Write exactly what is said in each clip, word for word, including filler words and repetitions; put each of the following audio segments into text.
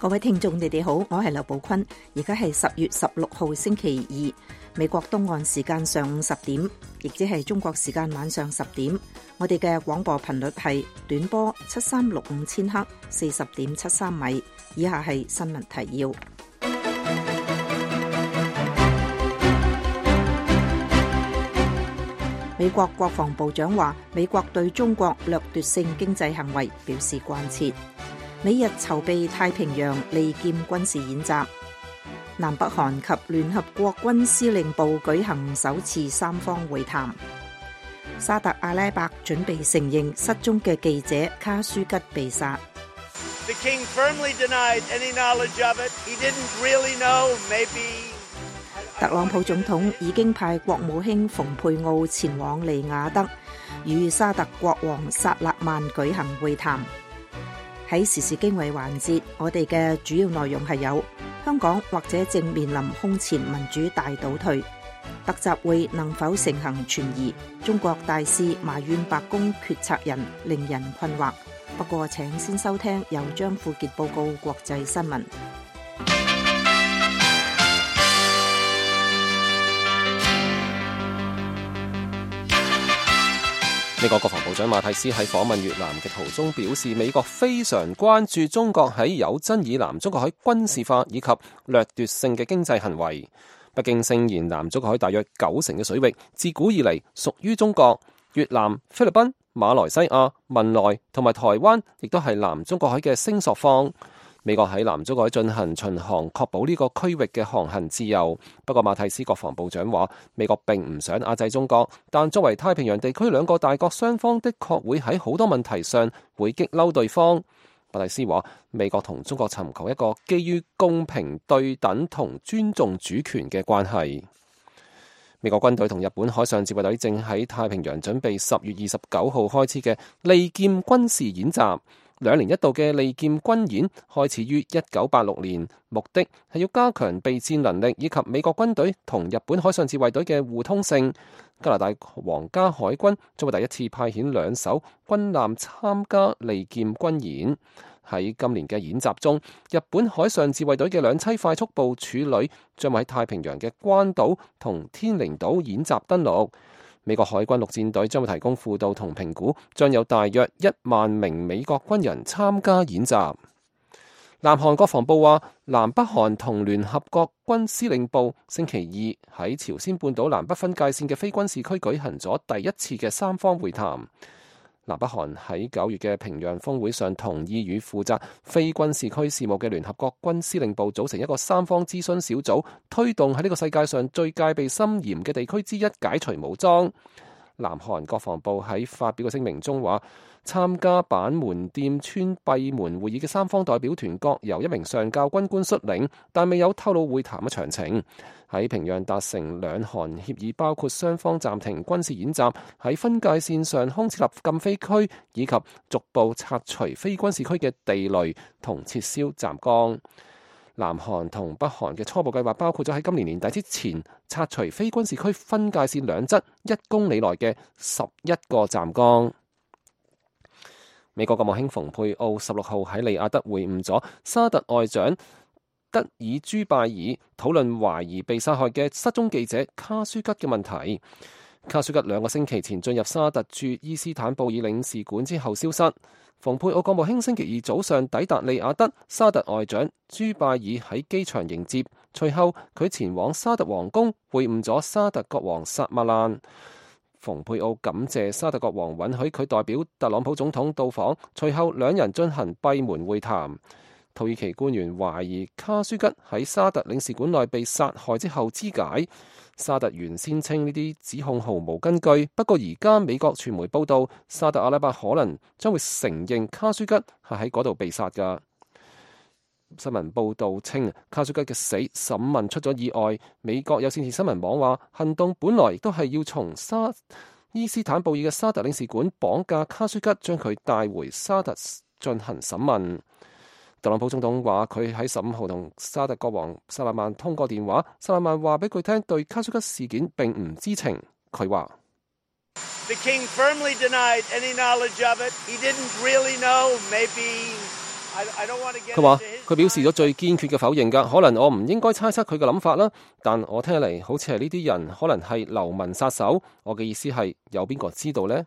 各位聽眾，你哋好，我係劉寶坤。而家係十月十六號星期二，美國東岸時間上午十點，亦即係中國時間晚上十點。我哋嘅廣播頻率係短波七三六五千赫，四十點七三米。以下係新聞提要。美國國防部長話，美國對中國掠奪性經濟行為表示關切。美日籌備太平洋利劍軍事演習，南北韓及聯合國軍司令部舉行首次三方會談。沙特阿拉伯準備承認失蹤嘅記者卡舒吉被殺。The king firmly denied any knowledge of it. He didn't really know. Maybe. 特朗普總統已經派國務卿蓬佩奧前往利雅得，與沙特國王薩勒曼舉行會談。喺時事經緯環節，我哋嘅主要內容係有香港或者正面臨空前民主大倒退，特集會能否成行存疑，中國大使埋怨白宮決策人令人困惑。不過請先收聽由張富傑報告國際新聞。美國國防部長馬蒂斯喺訪問越南嘅途中表示，美國非常關注中國喺有爭議南中國海軍事化以及掠奪性嘅經濟行為。北京聲言南中國海大約九成嘅水域自古以嚟屬於中國，越南、菲律賓、馬來西亞、文萊同埋台灣亦都係南中國海嘅聲索方。美國喺南中國海進行巡航，確保呢個區域嘅航行自由。不過馬蒂斯國防部長話，美國並唔想壓制中國，但作為太平洋地區兩個大國，雙方的確會喺好多問題上會激嬲對方。馬蒂斯話，美國同中國尋求一個基於公平對等同尊重主權嘅關係。美國軍隊同日本海上自衛隊正喺太平洋準備十月二十九號開始嘅利劍軍事演習。兩年一度嘅利劍軍演開始於一九八六年，目的係要加強備戰能力以及美國軍隊同日本海上自衛隊嘅互通性。加拿大皇家海軍將會第一次派遣兩艘軍艦參加利劍軍演。喺今年嘅演習中，日本海上自衛隊嘅兩棲快速部署旅將會喺太平洋嘅關島同天寧島演習登陸。美國海軍陸戰隊將會提供輔導同評估，將有大約一萬名美國軍人參加演習。南韓國防部話，南北韓同聯合國軍司令部星期二喺朝鮮半島南北分界線嘅非軍事區舉行咗第一次嘅三方會談。南北韓喺九月嘅平壤峰會上同意與負責非軍事區事務嘅聯合國軍司令部組成一個三方諮詢小組，推動喺呢個世界上最戒備森嚴嘅地區之一解除武裝。南韓國防部喺發表嘅聲明中話，參加板門店村閉門會議嘅三方代表團各由一名上校軍官率領，但未有透露會談嘅詳情。喺平壤達成兩韓協議，包括雙方暫停軍事演習，喺分界線上空設立禁飛區，以及逐步拆除非軍事區嘅地雷同撤銷站崗。南韓同北韓嘅初步計劃包括咗喺今年年底之前拆除非軍事區分界線兩側一公里內嘅十一個站崗。美國國務卿蓬佩奧十六號喺利雅得會晤咗沙特外長德爾朱拜爾，討論懷疑被殺害嘅失蹤記者卡舒吉嘅問題。卡舒吉兩個星期前進入沙特駐伊斯坦布爾領事館之後消失。蓬佩奧國務卿星期二早上抵達利雅得，沙特外長朱拜爾喺機場迎接，隨後佢前往沙特皇宮會晤咗沙特國王薩馬蘭。蓬佩奧感謝沙特國王允許佢代表特朗普總統到訪，隨後兩人進行閉門會談。土耳其官員懷疑卡舒吉喺沙特領事館內被殺害之後肢解。沙特原先稱呢啲指控毫無根據，不過而家美國傳媒報道，沙特阿拉伯可能將會承認卡舒吉係喺嗰度被殺㗎。新聞報道稱，卡舒吉嘅死審問出咗意外。美國有線電視新聞網話，行動本來亦都係要從沙伊斯坦布爾嘅沙特領事館綁架卡舒吉，將佢帶回沙特進行審問。特朗普總統話佢喺十五號同沙特國王薩勒曼通過電話，薩勒曼話俾佢聽對卡舒吉事件並唔知情。佢話 The king firmly denied any knowledge of it. He didn't really know. Maybe 佢話佢表示咗最堅決嘅否認㗎，可能我唔應該猜測佢嘅諗法啦，但我聽嚟好似係呢啲人可能係流民殺手。我嘅意思係有邊個知道呢？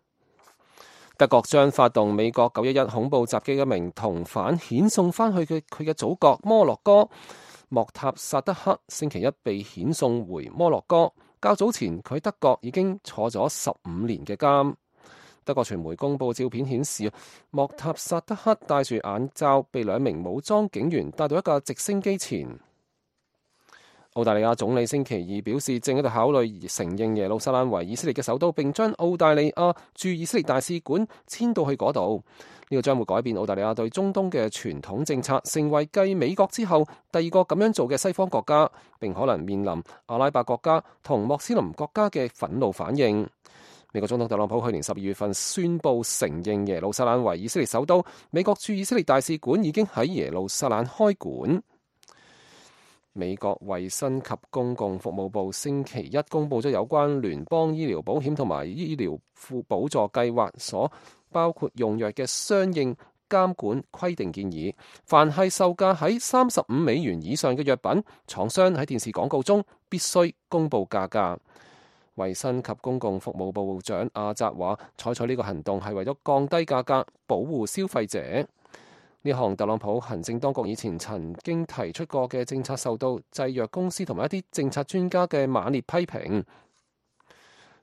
德國將發動美國九一一恐怖襲擊嘅一名同犯遣送翻去嘅佢嘅祖國摩洛哥。莫塔薩德克星期一被遣送回摩洛哥，較早前佢喺德國已經坐咗十五年嘅監。德國傳媒公佈照片顯示，莫塔薩德克戴住眼罩，被兩名武裝警員帶到一架直升機前。澳大利亞總理星期二表示，正喺度考慮承認耶路撒冷為以色列嘅首都，並將澳大利亞駐以色列大使館遷到去嗰度。呢個將會改變澳大利亞對中東嘅傳統政策，成為繼美國之後第二個咁樣做嘅西方國家，並可能面臨阿拉伯國家同穆斯林國家嘅憤怒反應。美國總統特朗普去年十二月份宣布承認耶路撒冷為以色列首都，美國駐以色列大使館已經喺耶路撒冷開館。美國衛生及公共服務部星期一公佈咗有關聯邦醫療保險同埋醫療輔補助計劃所包括用藥嘅相應監管規定建議，凡係售價喺三十五美元以上嘅藥品，廠商喺電視廣告中必須公佈價格。衛生及公共服務部長阿扎話，採取呢個行動係為咗降低價格，保護消費者。呢項特朗普行政當局以前曾經提出過嘅政策，受到製藥公司同埋一啲政策專家嘅猛烈批評。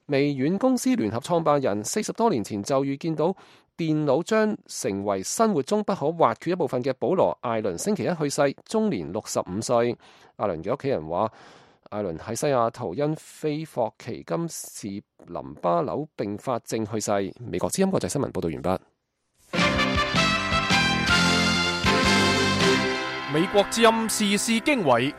微軟公司聯合創辦人四十多年前就預見到電腦將成為生活中不可或缺一部分嘅保羅·艾倫星期一去世，終年六十五歲。艾倫嘅屋企人話，艾倫喺西雅圖因非霍奇金氏淋巴瘤併發症去世。美國之音國際新聞報道完畢。美國之音時事經緯，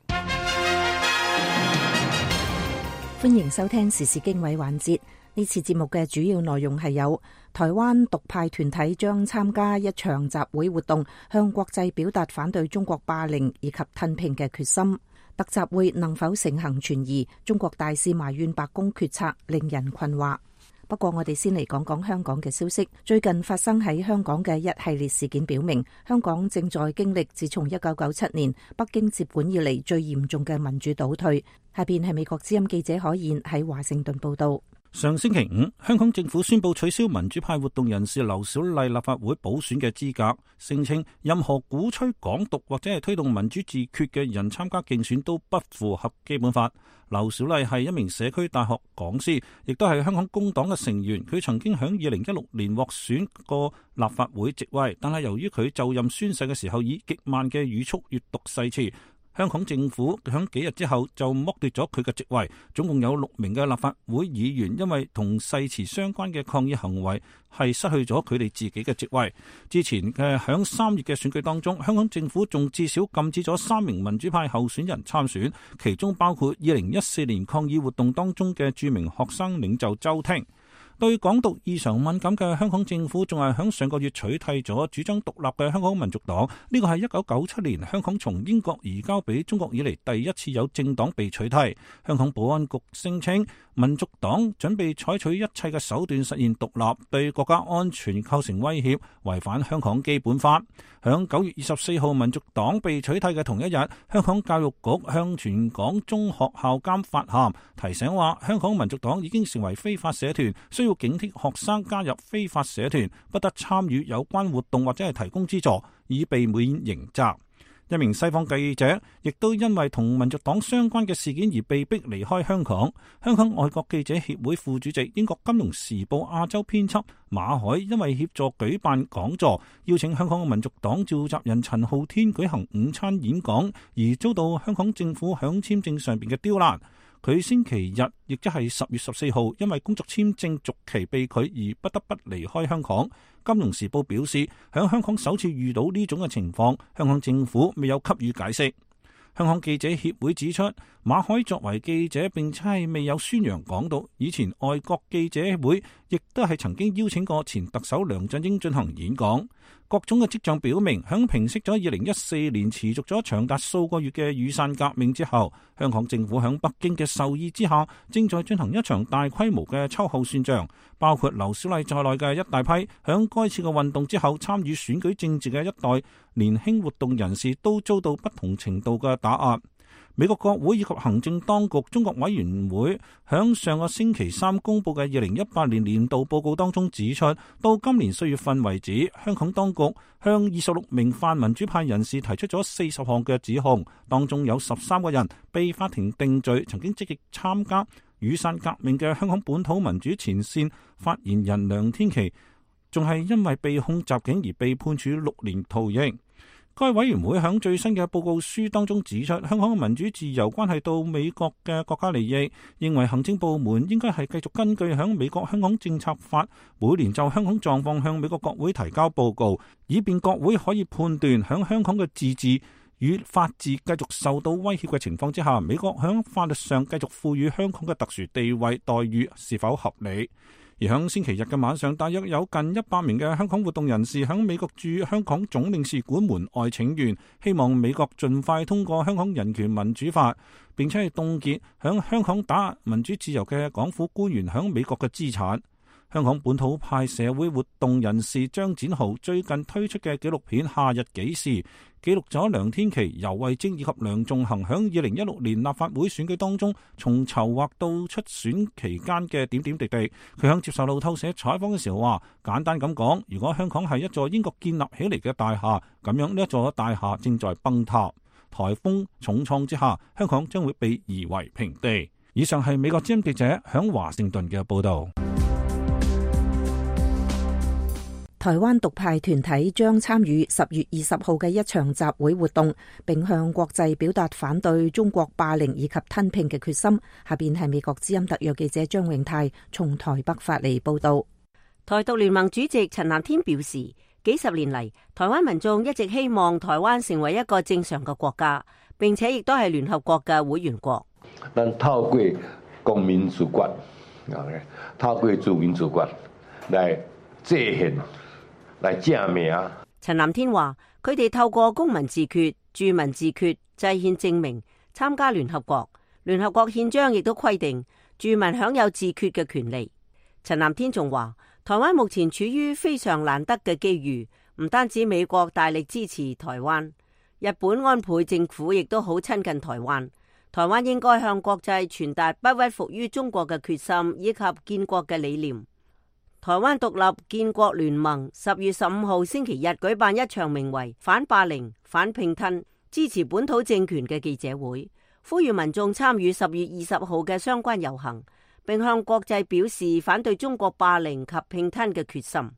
歡迎收聽時事經緯環節。呢次節目嘅主要內容係有台灣獨派團體將參加一場集會活動，向國際表達反對中國霸凌以及吞併嘅決心。特集會能否成行存疑？中國大使埋怨白宮決策令人困惑。不過我哋先嚟講講香港嘅消息。最近發生喺香港嘅一系列事件表明，香港正在經歷自從一九九七年北京接管以嚟最嚴重嘅民主倒退。下邊係美國之音記者可燕喺華盛頓報道。上星期五，香港政府宣布取消民主派活動人士劉小麗立法會補選嘅資格，聲稱任何鼓吹港獨或者係推動民主自決嘅人參加競選都不符合基本法。劉小麗係一名社區大學講師，亦都係香港工黨嘅成員。佢曾經喺二零一六年獲選過立法會席位，但係由於佢就任宣誓嘅時候以極慢嘅語速閱讀誓詞，香港政府響幾日之後就剝奪咗佢嘅職位，總共有六名嘅立法會議員因為同誓詞相關嘅抗議行為係失去咗佢哋自己嘅職位。之前嘅響三月嘅選舉當中，香港政府仲至少禁止咗三名民主派候選人參選，其中包括二零一四年抗議活動當中嘅著名學生領袖周庭。對港獨異常敏感嘅香港政府仲係響上個月取締咗主張獨立嘅香港民族黨，呢個係一九九七年香港從英國移交俾中國以嚟第一次有政黨被取締。香港保安局聲稱民族黨準備採取一切嘅手段實現獨立，對國家安全構成威脅，違反香港基本法。響九月二十四號民族黨被取締嘅同一日，香港教育局向全港中學校監發函，提醒話香港民族黨已經成為非法社團，需要警惕學生加入非法社團，不得參與有關活動或者係提供資助，以避免刑責。一名西方記者亦都因為同民族黨相關嘅事件而被逼離開香港。香港外國記者協會副主席、英國金融時報亞洲編輯馬海因為協助舉辦講座，邀請香港嘅民族黨召集人陳浩天舉行午餐演講，而遭到香港政府響簽證上邊嘅刁難。佢星期日，亦即係十月十四號，因為工作簽證續期被拒而不得不離開香港。金融時報表示，響香港首次遇到呢種嘅情況，香港政府未有給予解釋。香港記者協會指出，馬海作為記者並且係未有宣揚港獨，以前外國記者會亦都係曾經邀請過前特首梁振英進行演講。各種嘅跡象表明，響平息咗二零一四年持續咗長達數個月嘅雨傘革命之後，香港政府響北京嘅授意之下，正在進行一場大規模嘅秋後算賬，包括劉小麗在內嘅一大批響該次嘅運動之後參與選舉政治嘅一代年輕活動人士都遭到不同程度嘅打壓。美國國會以及行政當局中國委員會響上個星期三公布嘅二零一八年年度報告當中指出，到今年四月份為止，香港當局向二十六名泛民主派人士提出咗四十項嘅指控，當中有十三個人被法庭定罪，曾經積極參加雨傘革命嘅香港本土民主前線發言人梁天琦，仲係因為被控襲警而被判處六年徒刑。該委員會喺最新嘅報告書當中指出，香港嘅民主自由關係到美國嘅國家利益，認為行政部門應該係繼續根據喺美國香港政策法每年就香港狀況向美國國會提交報告，以便國會可以判斷喺香港嘅自治與法治繼續受到威脅嘅情況之下，美國喺法律上繼續賦予香港嘅特殊地位待遇是否合理。而喺星期日嘅晚上，大約有近一百名嘅香港活動人士喺美國駐香港總領事館門外請願，希望美國盡快通過香港人權民主法，並且係凍結喺香港打壓民主自由嘅港府官員喺美國嘅資產。香港本土派社會活動人士張展豪最近推出嘅紀錄片《夏日紀事》，記錄咗梁天琦、游蕙禎以及梁頌恆響二零一六年立法會選舉當中，從籌劃到出選期間嘅點點滴滴。佢響接受路透社採訪嘅時候話，簡單咁講，如果香港係一座英國建立起嚟嘅大廈，咁樣呢一座大廈正在崩塌，颱風重創之下，香港將會被夷為平地。以上係美國之音記者響華盛頓嘅報道。台灣獨派團體將參與十月二十號嘅一場集會活動，並向國際表達反對中國霸凌以及吞併嘅決心。下邊係美國之音特約記者張永泰從台北發嚟報道。台獨聯盟主席陳南天表示，幾十年嚟，台灣民眾一直希望台灣成為一個正常嘅國家，並且亦都係聯合國嘅會員國。但透過公民主權，透過自民主權來制憲。陳南天話：佢哋透過公民自決、住民自決、制憲證明參加聯合國。聯合國憲章亦都規定住民享有自決嘅權利。陳南天仲話：台灣目前處於非常難得嘅機遇，唔單止美國大力支持台灣，日本安倍政府亦都好親近台灣。台灣應該向國際傳達不屈服於中國嘅決心以及建國嘅理念。台灣獨立建國聯盟十月十五號星期日舉辦一場名為反霸凌、反併吞、支持本土政權嘅記者會，呼籲民眾參與十月二十號嘅相關遊行，並向國際表示反對中國霸凌及併吞嘅決心。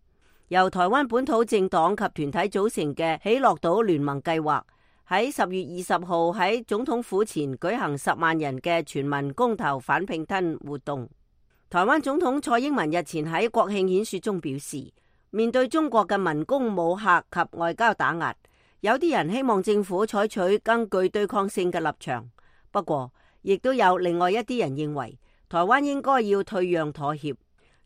由台灣本土政黨及團體組成嘅喜樂島聯盟計劃喺十月二十號喺總統府前舉行十萬人嘅全民公投反併吞活動。台灣總統蔡英文日前喺國慶演說中表示，面對中國嘅文攻武嚇及外交打壓，有啲人希望政府採取更具對抗性嘅立場。不過，亦都有另外一啲人認為，台灣應該要退讓妥協。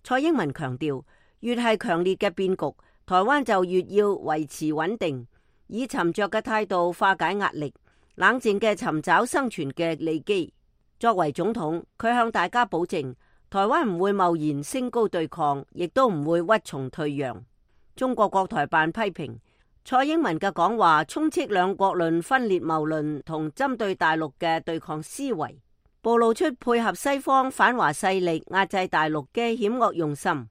蔡英文強調，越係強烈嘅變局，台灣就越要維持穩定，以沉着嘅態度化解壓力，冷靜嘅尋找生存嘅利基。作為總統，佢向大家保證，台灣唔會貿然升高對抗，亦都唔會屈從退讓。中國國台辦批評蔡英文嘅講話充斥兩國論、分裂謬論同針對大陸嘅對抗思維，暴露出配合西方反華勢力壓制大陸嘅險惡用心。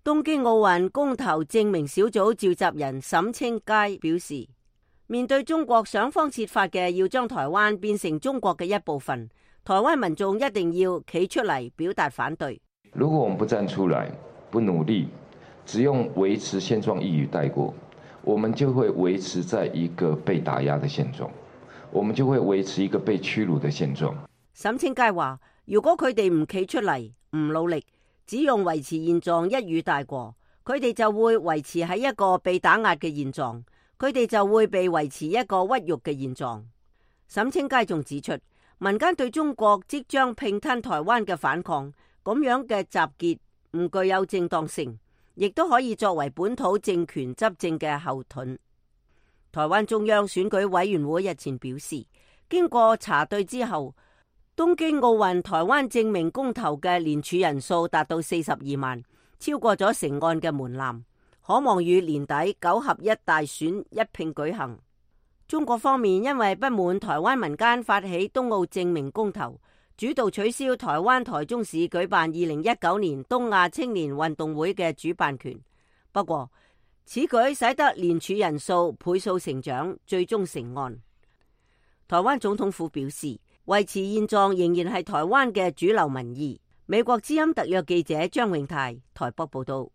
東京奧運公投證明小組召集人沈清佳表示，面對中國想方設法嘅要將台灣變成中國嘅一部分，台灣民眾一定要企出嚟表達反對。如果我們不站出來，不努力，只用維持現狀一語帶過，我們就會維持在一個被打壓的現狀，我們就會維持一個被屈辱的現狀。沈清佳話：如果佢哋唔企出嚟，唔努力，只用維持現狀一語帶過，佢哋就會維持喺一個被打壓嘅現狀，佢哋就會被維持一個屈辱嘅現狀。沈清佳仲指出，民間對中國即將併吞台灣嘅反抗，咁樣嘅集結唔具有正當性，亦都可以作為本土政權執政嘅後盾。台灣中央選舉委員會日前表示，經過查對之後，東京奧運台灣證明公投嘅連署人數達到四十二萬，超過咗成案嘅門檻，可望於年底九合一大選一併舉行。中國方面因為不滿台灣民間發起東奧正名公投，主導取消台灣台中市舉辦二零一九年東亞青年運動會嘅主辦權。不過，此舉使得聯署人數倍數成長，最終成案。台灣總統府表示，維持現狀仍然係台灣嘅主流民意。美國之音特約記者張永泰台北報道。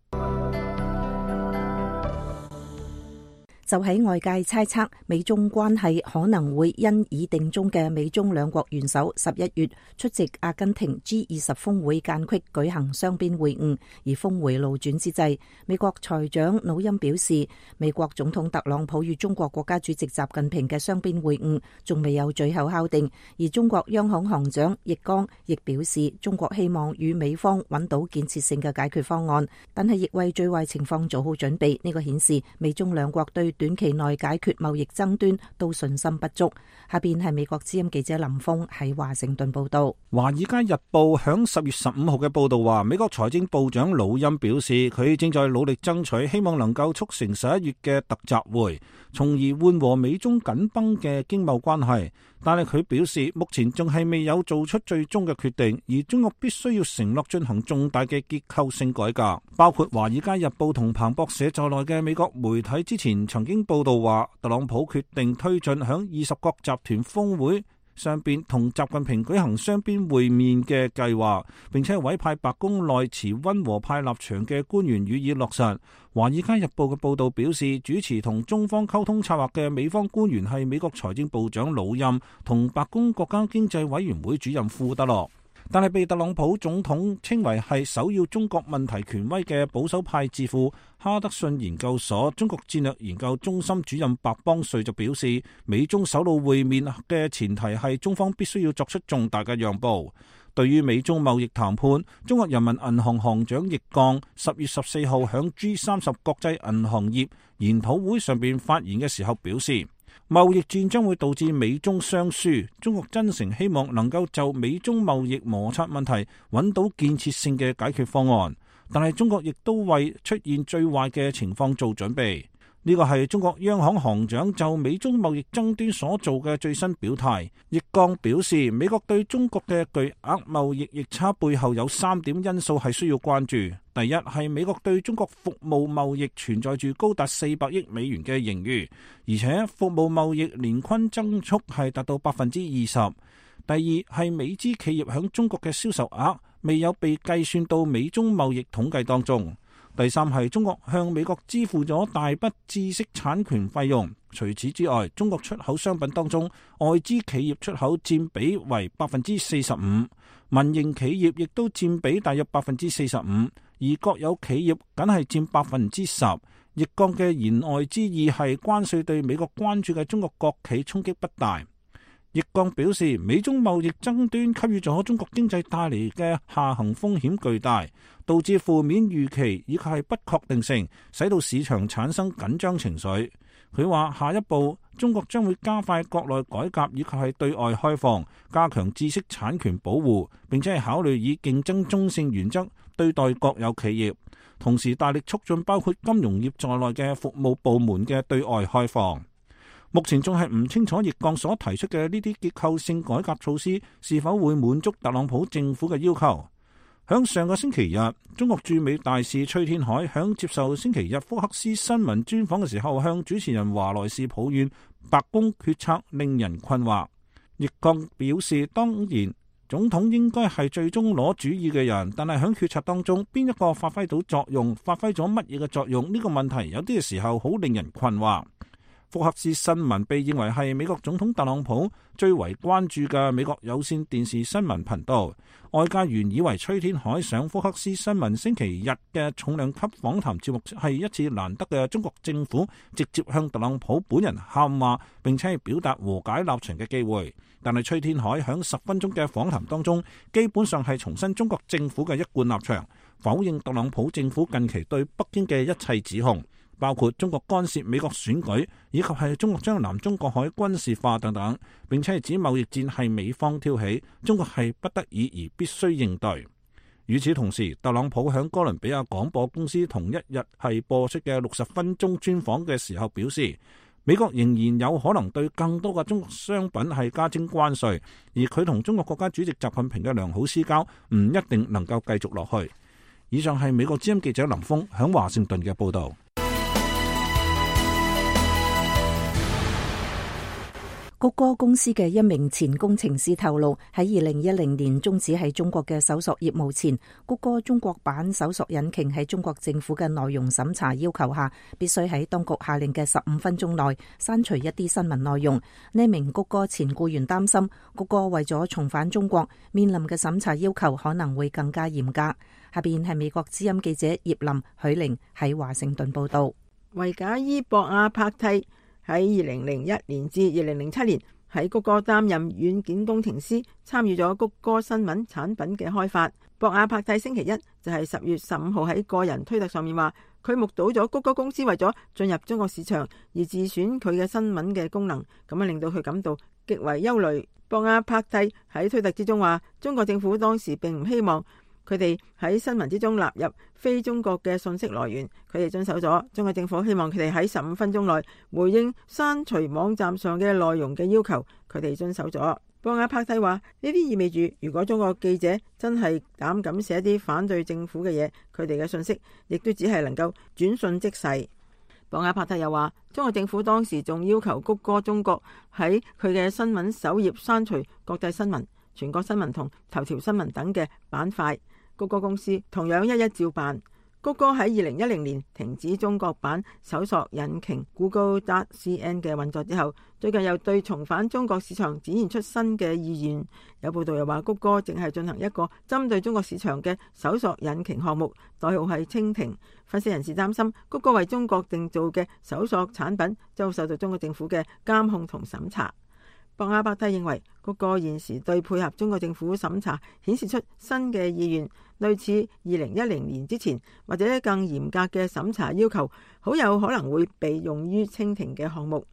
就喺外界猜測美中關係可能會因已定終嘅美中兩國元首十一月出席阿根廷 G 二十峰會間隙舉行雙邊會晤而峰回路轉之際，美國財長努欽表示，美國總統特朗普與中國國家主席習近平嘅雙邊會晤仲未有最後敲定，而中國央行行長易綱亦表示，中國希望與美方揾到建設性嘅解決方案，但係亦為最壞情況做好準備。呢個顯示美中兩國對短期內解決貿易爭端都信心不足。下邊係美國之音記者林峰喺華盛頓報道。華爾街日報響十月十五號嘅報道話，美國財政部長努欽表示，佢正在努力爭取，希望能夠促成十一月嘅特集會，從而緩和美中緊繃嘅經貿關係。但係佢表示，目前仲係未有做出最終嘅決定，而中國必須要承諾進行重大嘅結構性改革。包括華爾街日報同彭博社在內嘅美國媒體之前曾經報道話，特朗普決定推進響二十國集團峰會上邊同習近平舉行雙邊會面嘅計劃，並且委派白宮內持溫和派立場嘅官員予以落實。華爾街日報嘅報道表示，主持同中方溝通策劃嘅美方官員係美國財政部長努欽同白宮國家經濟委員會主任庫德洛。但係被特朗普總統稱為係首要中國問題權威嘅保守派智庫哈德遜研究所中國戰略研究中心主任白邦瑞就表示，美中首腦會面嘅前提係中方必須要作出重大嘅讓步。對於美中貿易談判，中國人民銀行行長易綱十月十四號響 G 三十國際銀行業研討會上邊發言嘅時候表示，貿易戰將會導致美中雙輸，中國真誠希望能夠就美中貿易摩擦問題揾到建設性嘅解決方案，但係中國亦都為出現最壞嘅情況做準備。呢個係中國央行行長就美中貿易爭端所做嘅最新表態。易綱表示，美國對中國嘅巨額貿易逆差背後有三點因素係需要關注。第一係美國對中國服務貿易存在住高達四百億美元嘅盈餘，而且服務貿易年均增速係達到百分之二十。第二係美資企業響中國嘅銷售額未有被計算到美中貿易統計當中。第三係中國向美國支付咗大筆知識產權費用。除此之外，中國出口商品當中，外資企業出口佔比為百分之四十五，民營企業亦都佔比大約百分之四十五，而國有企業僅係佔百分之十。易綱嘅言外之意係關稅對美國關注嘅中國國企衝擊不大。易綱表示，美中貿易爭端給予咗中國經濟帶嚟嘅下行風險巨大，導致負面預期以及係不確定性，使到市場產生緊張情緒。佢話下一步中國將會加快國內改革以及係對外開放，加強知識產權保護，並且係考慮以競爭中性原則對待國有企業，同時大力促進包括金融業在內嘅服務部門嘅對外開放。目前仲係唔清楚易綱所提出嘅呢啲結構性改革措施是否會滿足特朗普政府嘅要求。響上個星期日，中國駐美大使崔天凱響接受星期日福克斯新聞專訪嘅時候，向主持人華萊士抱怨白宮決策令人困惑。易綱表示，當然總統應該係最終攞主意嘅人，但係響決策當中邊一個發揮到作用，發揮咗乜嘢嘅作用，呢個問題有啲嘅時候好令人困惑。福克斯新聞被認為係美國總統特朗普最為關注嘅美國有線電視新聞頻道。外界原以為崔天凱上福克斯新聞星期日嘅重量級訪談節目係一次難得嘅中國政府直接向特朗普本人喊話，並且係表達和解立場嘅機會。但係崔天凱響十分鐘嘅訪談當中，基本上係重申中國政府嘅一貫立場，否認特朗普政府近期對北京嘅一切指控，包括中國干涉美國選舉，以及係中國將南中國海軍事化等等，並且係指貿易戰係美方挑起，中國係不得已而必須應對。與此同時，特朗普響哥倫比亞廣播公司同一日係播出嘅六十分鐘專訪嘅時候表示，美國仍然有可能對更多嘅中國商品係加徵關稅，而佢同中國國家主席習近平嘅良好私交唔一定能夠繼續落去。以上係美國之音記者林峰響華盛頓嘅報道。谷歌公司嘅一名前工程師透露，喺二零一零年終止喺中國嘅搜索業務前，谷歌中國版搜索引擎喺中國政府嘅內容審查要求下，必須喺當局下令嘅十五分鐘內刪除一啲新聞內容。呢名谷歌前僱員擔心，谷歌為咗重返中國，面臨嘅審查要求可能會更加嚴格。下邊係美國之音記者葉林許玲喺華盛頓報道。維賈伊博亞柏蒂喺二零零一年至二零零七年喺谷歌擔任軟件工程師，參與咗谷歌新聞產品嘅開發。博亞柏蒂星期一就係十月十五號喺個人推特上面話，佢目睹咗谷歌公司為咗進入中國市場而自選佢嘅新聞嘅功能，咁樣令到佢感到極為憂慮。博亞柏蒂喺推特之中話，中國政府當時並唔希望佢哋喺新聞之中納入非中國嘅信息來源，佢哋遵守咗。中國政府希望佢哋喺十五分鐘內回應刪除網站上嘅內容嘅要求，佢哋遵守咗。博亞柏蒂話，呢啲意味住，如果中國記者真係膽敢寫啲反對政府嘅嘢，佢哋嘅信息亦都只係能夠轉瞬即逝。博亞柏蒂又話，中國政府當時仲要求谷歌中國喺佢嘅新聞首頁刪除國際新聞、全國新聞同頭條新聞等嘅板塊。谷歌公司同樣一一照辦。谷歌喺二零一零年停止中國版搜索引擎 Google.cn 嘅運作之後，最近又對重返中國市場展現出新嘅意願。有報道又話，谷歌正係進行一個針對中國市場嘅搜索引擎項目，代號係蜻蜓。分析人士擔心，谷歌為中國定造嘅搜索產品將受到中國政府嘅監控同審查。博亞柏蒂認為，谷歌現時對配合中國政府審查顯示出新嘅意願，類似二零一零年之前或者更嚴格嘅審查要求，好有可能會被用於蜻蜓嘅項目。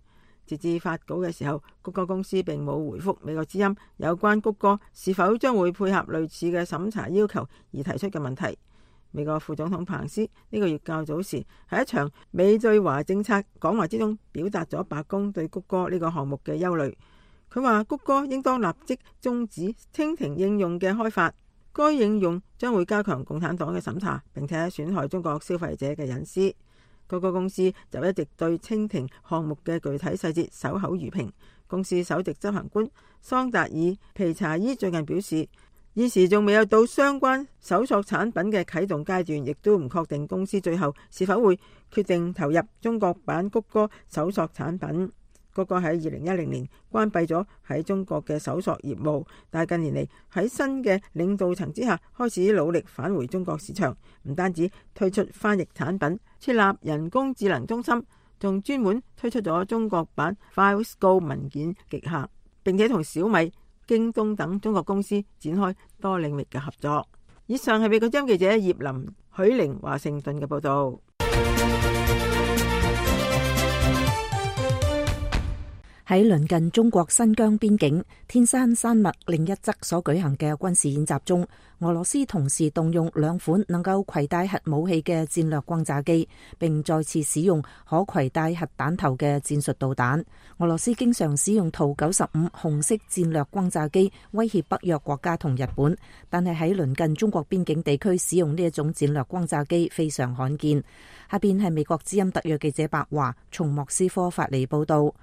截至發稿嘅時候，谷歌公司並冇回覆美國之音有關谷歌是否將會配合類似嘅審查要求而提出嘅問題。美國副總統彭斯呢個月較早時喺一場美對華政策講話之中，表達咗白宮對谷歌呢個項目嘅憂慮。佢話谷歌應當立即終止蜻蜓應用嘅開發，該應用將會加強共產黨嘅審查，並且損害中國消費者嘅隱私。谷歌公司就一直對蜻蜓項目嘅具體細節守口如瓶。公司首席執行官桑達爾皮查伊最近表示，現時仲未有到相關搜索產品嘅啟動階段，亦都唔確定公司最後是否會決定投入中國版谷歌搜索產品。谷歌喺二零一零年關閉咗喺中國嘅搜索業務，但係近年嚟喺新嘅領導層之下，開始努力返回中國市場，唔單止推出翻譯產品，設立人工智能中心，仲專門推出咗中國版 FileScope 文件極客，並且同小米、京東等中國公司展開多領域嘅合作。以上係美國之音記者葉林許玲華盛頓嘅報道。喺鄰近中國新疆邊境天山山脈另一側所舉行嘅軍事演習中，俄羅斯同時動用兩款能夠攜帶核武器嘅戰略轟炸機，並再次使用可攜帶核彈頭嘅戰術導彈。俄羅斯經常使用圖九十五紅色戰略轟炸機威脅北約國家同日本，但係喺鄰近中國邊境地區使用呢一種戰略轟炸機非常罕見。下邊係美國之音特約記者白華從莫斯科發嚟報道。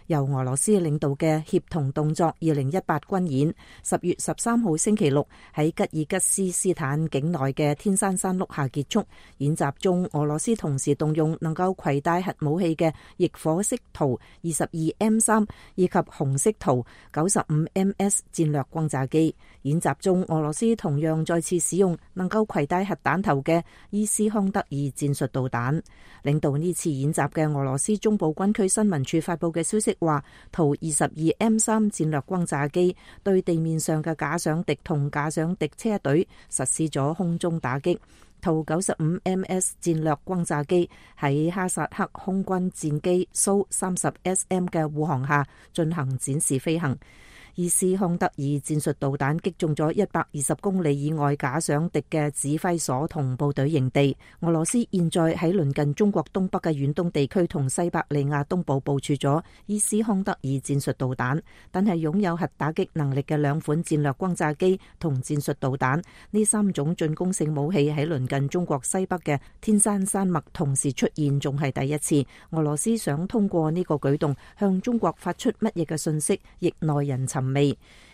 由俄羅斯領導嘅協同動作二零一八軍演，十月十三號星期六喺吉爾吉斯斯坦境內嘅天山山麓下結束。演習中，俄羅斯同時動用能夠攜帶核武器嘅翼火式圖二十二 M 三以及紅色圖九十五 M S 戰略轟炸機。演習中，俄羅斯同樣再次使用能夠攜帶核彈頭嘅伊斯康德爾戰術導彈。領導呢次演習嘅俄羅斯中部軍區新聞處發佈嘅消息話，圖二十二 M 三戰略轟炸機對地面上嘅假想敵同假想敵車隊實施咗空中打擊。圖九十五 M S 戰略轟炸機喺哈薩克空軍戰機蘇三十 S M 嘅護航下進行展示飛行。伊斯康德爾戰術導彈擊中咗一百二十公里以外假想敵嘅指揮所同部隊營地。俄羅斯現在喺鄰近中國東北嘅遠東地區同西伯利亞東部部署咗伊斯康德爾戰術導彈，但係擁有核打擊能力嘅兩款戰略轟炸機同戰術導彈，呢三種進攻性武器喺鄰近中國西北嘅天山山脈同時出現，仲係第一次。俄羅斯想通過呢個舉動向中國發出乜嘢嘅信息，亦耐人尋味。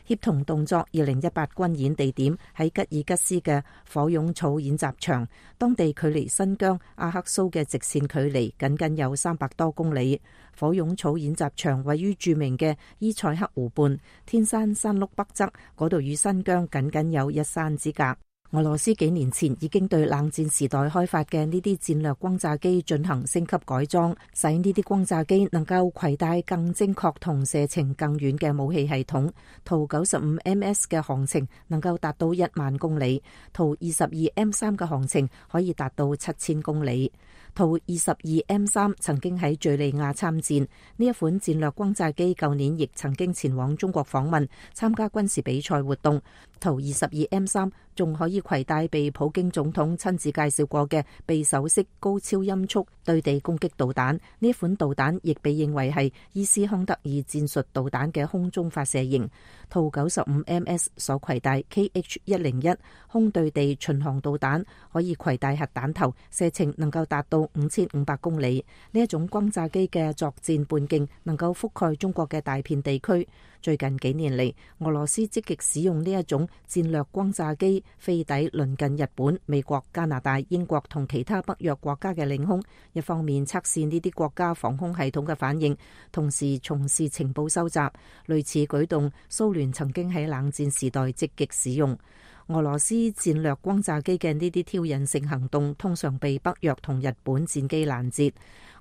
協同動作二零一八軍演地點喺吉爾吉斯嘅火湧草演習場，當地距離新疆阿克蘇嘅直線距離僅僅有三百多公里。火湧草演習場位於著名嘅伊塞克湖畔，天山山麓北側，嗰度與新疆僅僅有一山之隔。俄羅斯幾年前已經對冷戰時代開發嘅呢啲戰略轟炸機進行升級改裝，使呢啲轟炸機能夠攜帶更精確同射程更遠嘅武器系統。圖九十五 M S 嘅航程能夠達到一萬公里，圖二十二 M 三嘅航程可以達到七千公里。圖二十二 M 三曾經喺敘利亞參戰，呢一款戰略轟炸機舊年亦曾經前往中國訪問，參加軍事比賽活動。圖二十二 M 三仲可以攜帶被普京總統親自介紹過嘅匕首式高超音速對地攻擊導彈，呢款導彈亦被認為係伊斯康德爾戰術導彈嘅空中發射型。圖九十五 M S 所攜帶 K H 一零一空對地巡航導彈，可以攜帶核彈頭，射程能夠達到五千五百公里。呢一種轟炸機嘅作戰半徑能夠覆蓋中國嘅大片地區。最近幾年嚟，俄羅斯積極使用呢一種戰略轟炸機飛抵鄰近日本、美國、加拿大、英國同其他北約國家嘅領空，一方面測試呢啲國家防空系統嘅反應，同時從事情報收集。類似舉動，蘇聯曾經喺冷戰時代積極使用。俄羅斯戰略轟炸機嘅呢啲挑釁性行動通常被北約同日本戰機攔截。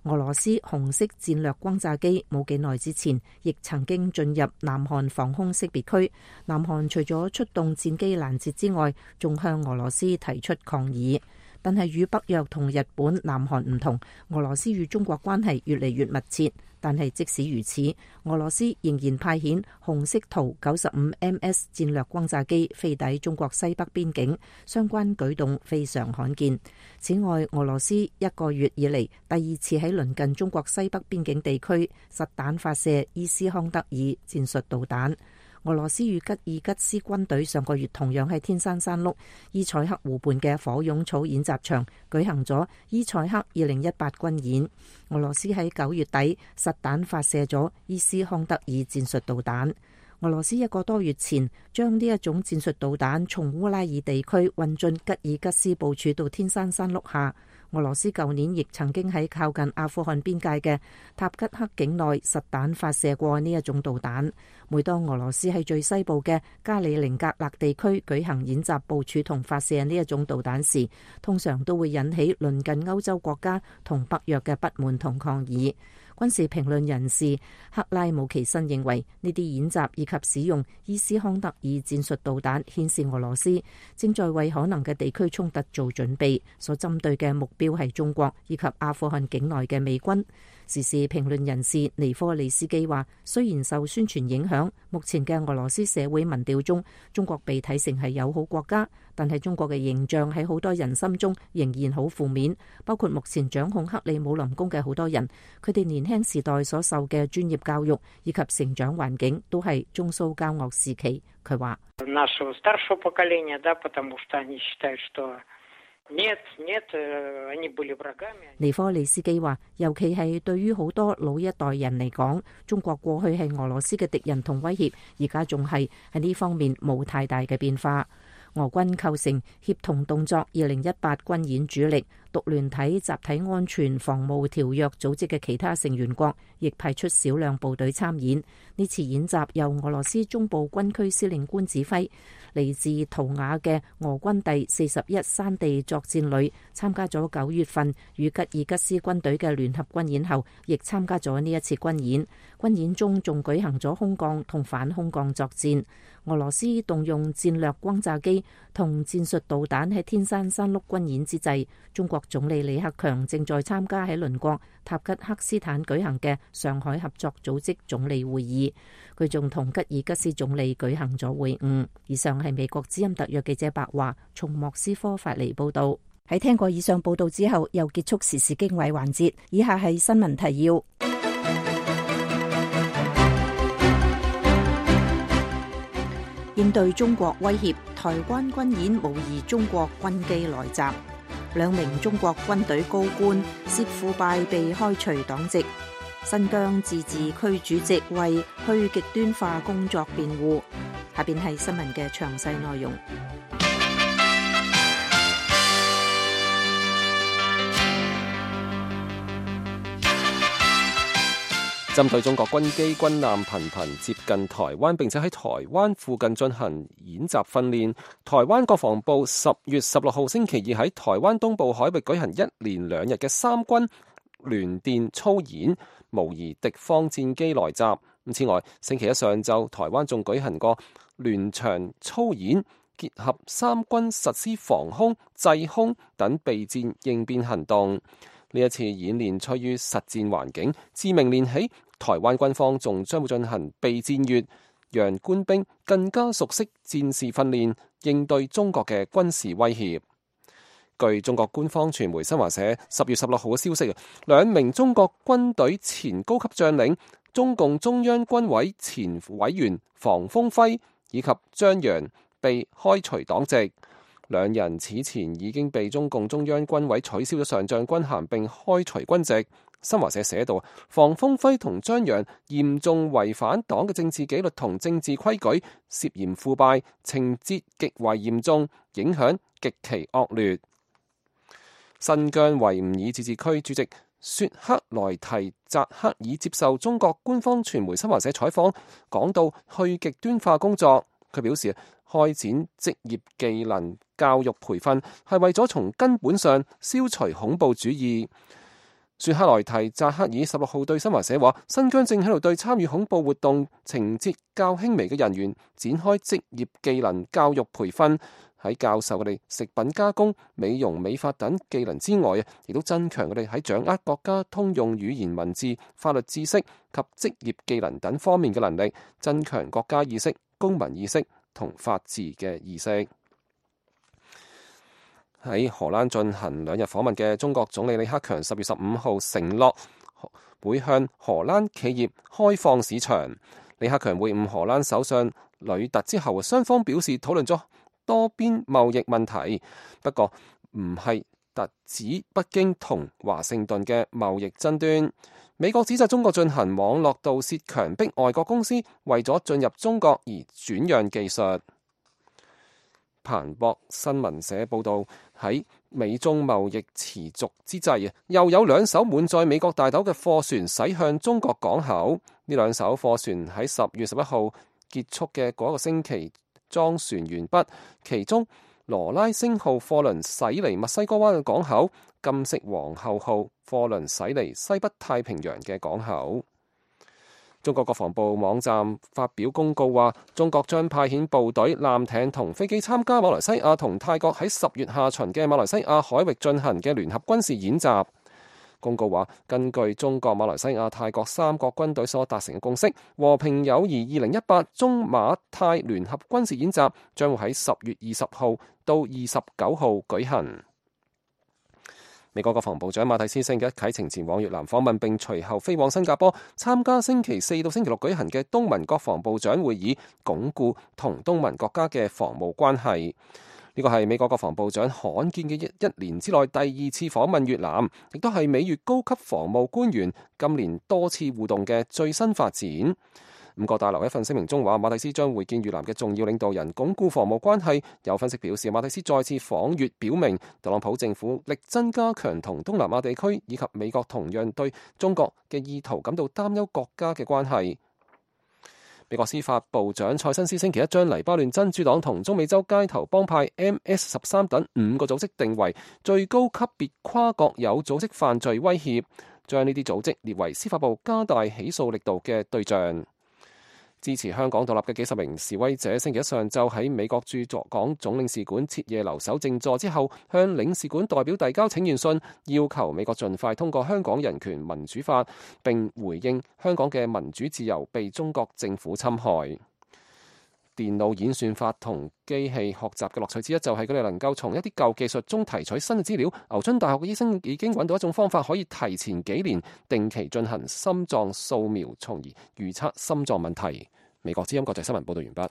俄羅斯紅色戰略轟炸機冇幾耐之前亦曾經進入南韓防空識別區，南韓除咗出動戰機攔截之外，仲向俄羅斯提出抗議。但係與北約同日本、南韓唔同，俄羅斯與中國關係越嚟越密切。但係即使如此，俄羅斯仍然派遣紅色圖九十五 M S 戰略轟炸機飛抵中國西北邊境，相關舉動非常罕見。此外，俄羅斯一個月以嚟第二次喺鄰近中國西北邊境地區實彈發射伊斯康德爾戰術導彈。俄羅斯與吉爾吉斯軍隊上個月同樣喺天山山麓伊塞克湖畔嘅火湧草演習場舉行咗伊塞克二零一八軍演。俄羅斯喺九月底實彈發射咗伊斯康德爾戰術導彈。俄羅斯一個多月前將呢一種戰術導彈從烏拉爾地區運進吉爾吉斯部署到天山山麓下。俄羅斯舊年亦曾經喺靠近阿富汗邊界嘅塔吉克境內實彈發射過呢一種導彈。每當俄羅斯喺最西部嘅加里寧格勒地區舉行演習部署同發射呢一種導彈時，通常都會引起鄰近歐洲國家同北約嘅不滿同抗議。軍事評論人士克拉姆奇申認為，呢啲演習以及使用伊斯康德爾戰術導彈顯示俄羅斯正在為可能嘅地區衝突做準備，所針對嘅目標係中國以及阿富汗境內嘅美軍。時事評論人士尼科利斯基話，雖然受宣傳影響，目前嘅俄羅斯社會民調中，中國被睇成係友好國家，但係中國嘅形象喺好多人心中仍然好負面，包括目前掌控克里姆林宮嘅好多人，佢哋年輕時代所受嘅專業教育以及成長環境都係中蘇交惡時期。佢話尼科利斯基話，尤其係對於好多老一代人嚟講，中國過去係俄羅斯嘅敵人同威脅，而家仲係喺呢方面冇太大嘅變化。俄軍構成協同動作二零一八軍演主力，獨聯體集體安全防務條約組織嘅其他成員國亦派出少量部隊參演。呢次演習由俄羅斯中部軍區司令官指揮，嚟自圖瓦嘅俄軍第四十一山地作戰旅參加咗九月份與吉爾吉斯軍隊嘅聯合軍演後，亦參加咗呢一次軍演。軍演中仲舉行咗空降同反空降作戰。俄羅斯動用戰略轟炸機同戰術導彈喺天山山麓軍演之際，中國總理李克強正在參加喺鄰國塔吉克斯坦舉行嘅上海合作組織總理會議，佢仲同吉爾吉斯總理舉行咗會晤。以上係美國之音特約記者白華從莫斯科發嚟報道。喺聽過以上報道之後，又結束時事經緯環節。以下係新聞提要。應對中國威脅，台灣軍演模擬中國軍機來襲。兩名中國軍隊高官涉腐敗被開除黨籍。新疆自治區主席為去極端化工作辯護。下邊係新聞嘅詳細內容。針對中國軍機軍艦頻頻接近台灣，並且喺台灣附近進行演習訓練，台灣國防部十月十六號星期二喺台灣東部海域舉行一連兩日嘅三軍聯電操演，模擬敵方戰機來襲。此外，星期一上晝，台灣仲舉行過聯翔操演，結合三軍實施防空、制空等備戰應變行動。呢一次演練趨於實戰環境，自明年起，台灣軍方仲將會進行備戰月，讓官兵更加熟悉戰事訓練，應對中國嘅軍事威脅。據中國官方傳媒新華社十月十六號嘅消息，兩名中國軍隊前高級將領，中共中央軍委前委員房峰輝以及張陽被開除黨籍。兩人此前已經被中共中央軍委取消咗上將軍銜並開除軍籍。新華社寫道，房峰輝同張陽嚴重違反黨嘅政治紀律同政治規矩，涉嫌腐敗，情節極為嚴重，影響極其惡劣。新疆維吾爾自治區主席雪克來提扎克爾接受中國官方傳媒新華社採訪，講到去極端化工作，佢表示開展職業技能教育培訓係為咗從根本上消除恐怖主義。雪克來提扎克爾十六號對新華社話，新疆正喺度對參與恐怖活動情節較輕微嘅人員展開職業技能教育培訓，喺教授佢哋食品加工、美容美髮等技能之外，亦都增強佢哋喺掌握國家通用語言文字、法律知識及職業技能等方面嘅能力，增強國家意識、公民意識同法治嘅意識。喺荷蘭進行兩日訪問嘅中國總理李克強十月十五號承諾會向荷蘭企業開放市場。李克強會晤荷蘭首相呂特之後，雙方表示討論咗多邊貿易問題，不過唔係特指北京同華盛頓嘅貿易爭端。美國指責中國進行網絡盜竊，強迫外國公司為咗進入中國而轉讓技術。彭博新聞社報道，喺美中貿易持續之際，又有兩艘滿載美國大豆嘅貨船駛向中國港口。呢兩艘貨船喺十月十一號結束嘅嗰個星期裝船完畢，其中羅拉星號貨輪駛離墨西哥灣嘅港口，金色皇后號貨輪駛離西北太平洋嘅港口。中國國防部網站發表公告話，中國將派遣部隊、艦艇同飛機參加馬來西亞同泰國喺十月下旬嘅馬來西亞海域進行嘅聯合軍事演習。公告話，根據中國、馬來西亞、泰國三國軍隊所達成嘅共識，和平友誼二零一八中馬泰聯合軍事演習將會喺十月二十號到二十九號舉行。美國國防部長馬蒂斯星期一啟程前往越南訪問，並隨後飛往新加坡參加星期四到星期六舉行嘅東盟國防部長會議，鞏固同東盟國家嘅防務關係。呢個係美國國防部長罕見嘅一一年之內第二次訪問越南，亦都係美越高級防務官員今年多次互動嘅最新發展。五角大樓一份聲明中話，馬蒂斯將會見越南嘅重要領導人，鞏固防務關係。有分析表示，馬蒂斯再次訪越，表明特朗普政府力爭加強同東南亞地區以及美國同樣對中國嘅意圖感到擔憂國家嘅關係。美國司法部長塞申斯星期一將黎巴嫩真主黨同中美洲街頭幫派 M S 十三等五個組織定為最高級別跨國有組織犯罪威脅，將呢啲組織列為司法部加大起訴力度嘅對象。支持香港獨立嘅幾十名示威者星期一上晝喺美國駐港總領事館徹夜留守靜坐之後，向領事館代表遞交請願信，要求美國盡快通過香港人權民主法，並回應香港嘅民主自由被中國政府侵害。電腦演算法同機器學習嘅樂趣之一，就係佢哋能夠從一啲舊技術中提取新嘅資料。牛津大學嘅醫生已經揾到一種方法，可以提前幾年定期進行心臟掃描，從而預測心臟問題。美國之音國際新聞報道完畢。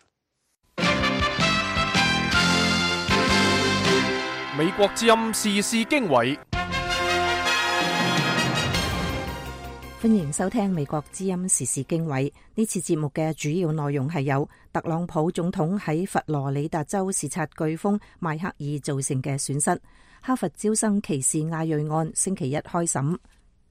美國之音時事經緯。歡迎收聽美國之音時事經緯。呢次節目嘅主要內容係有特朗普總統喺佛羅里達州視察颶風邁克爾造成嘅損失，哈佛招生歧視亞裔案星期一開審。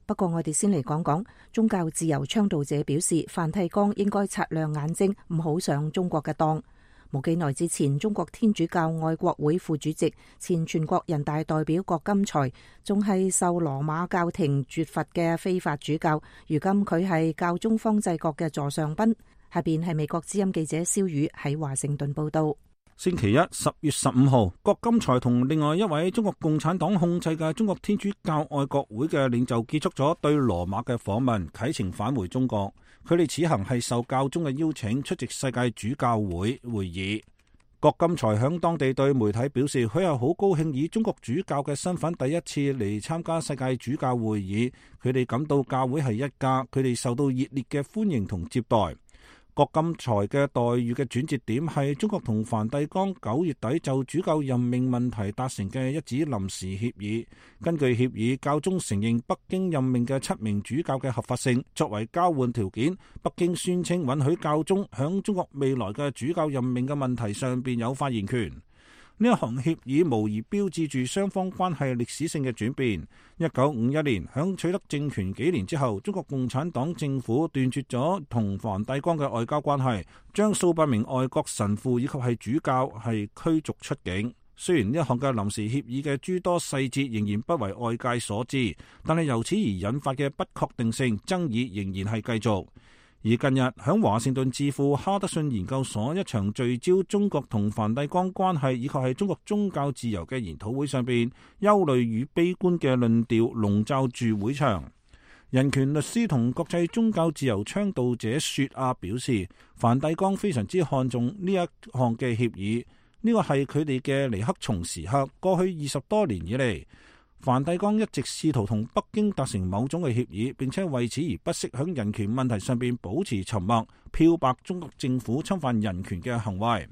不過我哋先嚟講講宗教自由倡導者表示，梵蒂岡應該擦亮眼睛，唔好上中國嘅當。冇幾耐之前，中國天主教愛國會副主席、前全國人大代表郭金才，仲係受羅馬教廷絕罰嘅非法主教，如今佢係教宗方濟各嘅座上賓。下邊係美國之音記者蕭宇喺華盛頓報道。星期一十月十五號，郭金才同另外一位中國共產黨控制嘅中國天主教愛國會嘅領袖結束咗對羅馬嘅訪問，啟程返回中國。佢哋此行係受教宗嘅邀請出席世界主教會會議。郭金才響當地對媒體表示，佢係好高興以中國主教嘅身份第一次嚟參加世界主教會議。佢哋感到教會係一家，佢哋受到熱烈嘅歡迎同接待。郭金才嘅待遇嘅轉折點係中國同梵蒂岡九月底就主教任命問題達成嘅一紙臨時協議。根據協議，教宗承認北京任命嘅七名主教嘅合法性，作為交換條件，北京宣稱允許教宗響中國未來嘅主教任命嘅問題上邊有發言權。呢一項協議無疑標誌住雙方關係歷史性嘅轉變。一九五一年響取得政權幾年之後，中國共產黨政府斷絕咗同梵蒂岡嘅外交關係，將數百名外國神父以及係主教係驅逐出境。雖然呢一項嘅臨時協議嘅諸多細節仍然不為外界所知，但係由此而引發嘅不確定性爭議仍然係繼續。而近日響華盛頓智庫哈德遜研究所一場聚焦中國同梵蒂岡關係以及係中國宗教自由嘅研討會上邊，憂慮與悲觀嘅論調籠罩住會場。人權律師同國際宗教自由倡導者雪亞表示，梵蒂岡非常之看重呢一項嘅協議，呢個係佢哋嘅尼克松時刻。過去二十多年以嚟，梵蒂岡一直試圖同北京達成某種嘅協議，並且為此而不惜響人權問題上邊保持沉默，漂白中國政府侵犯人權嘅行為。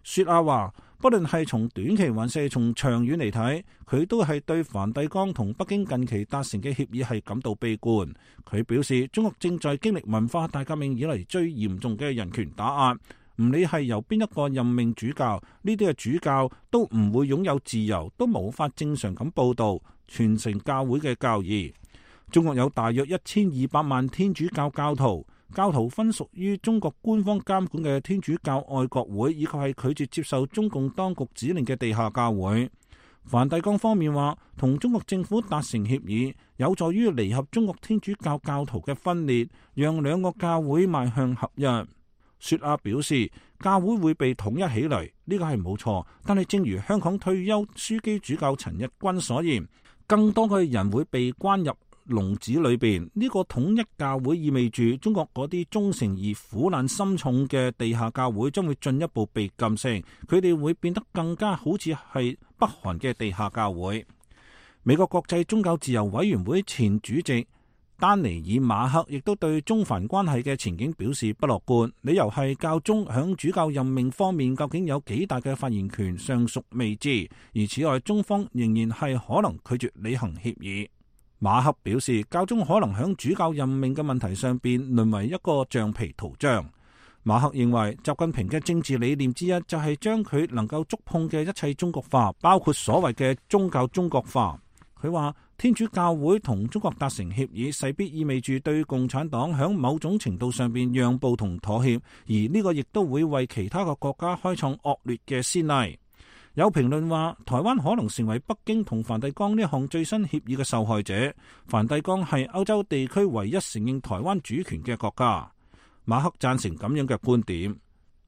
雪亞話，不論係從短期還是從長遠嚟睇，佢都係對梵蒂岡同北京近期達成嘅協議係感到悲觀。佢表示，中國正在經歷文化大革命以嚟最嚴重嘅人權打壓。唔理係由邊一個任命主教，呢啲嘅主教都唔會擁有自由，都無法正常咁報道、傳承教會嘅教義。中國有大約一千二百萬天主教教徒，教徒分屬於中國官方監管嘅天主教愛國會，以及係拒絕接受中共當局指令嘅地下教會。梵蒂岡方面話，同中國政府達成協議，有助於彌合中國天主教教徒嘅分裂，讓兩個教會邁向合一。雪亞表示，教會會被統一起嚟，呢個係冇錯。但係正如香港退休樞機主教陳日君所言，更多嘅人會被關入籠子裏邊。呢個統一教會意味住中國嗰啲忠誠而苦難深重嘅地下教會將會進一步被禁聲，佢哋會變得更加好似係北韓嘅地下教會。美國國際宗教自由委員會前主席丹尼爾馬克亦都對中梵關係嘅前景表示不樂觀，理由係教宗響主教任命方面究竟有幾大嘅發言權尚屬未知，而此外中方仍然係可能拒絕履行協議。馬克表示，教宗可能響主教任命嘅問題上邊淪為一個橡皮圖章。馬克認為習近平嘅政治理念之一就係將佢能夠觸碰嘅一切中國化，包括所謂嘅宗教中國化。佢話天主教會同中國達成協議，勢必意味住對共產黨響某種程度上邊讓步同妥協，而呢個亦都會為其他嘅國家開創惡劣嘅先例。有評論話，台灣可能成為北京同梵蒂岡呢項最新協議嘅受害者。梵蒂岡係歐洲地區唯一承認台灣主權嘅國家。馬克贊成咁樣嘅觀點。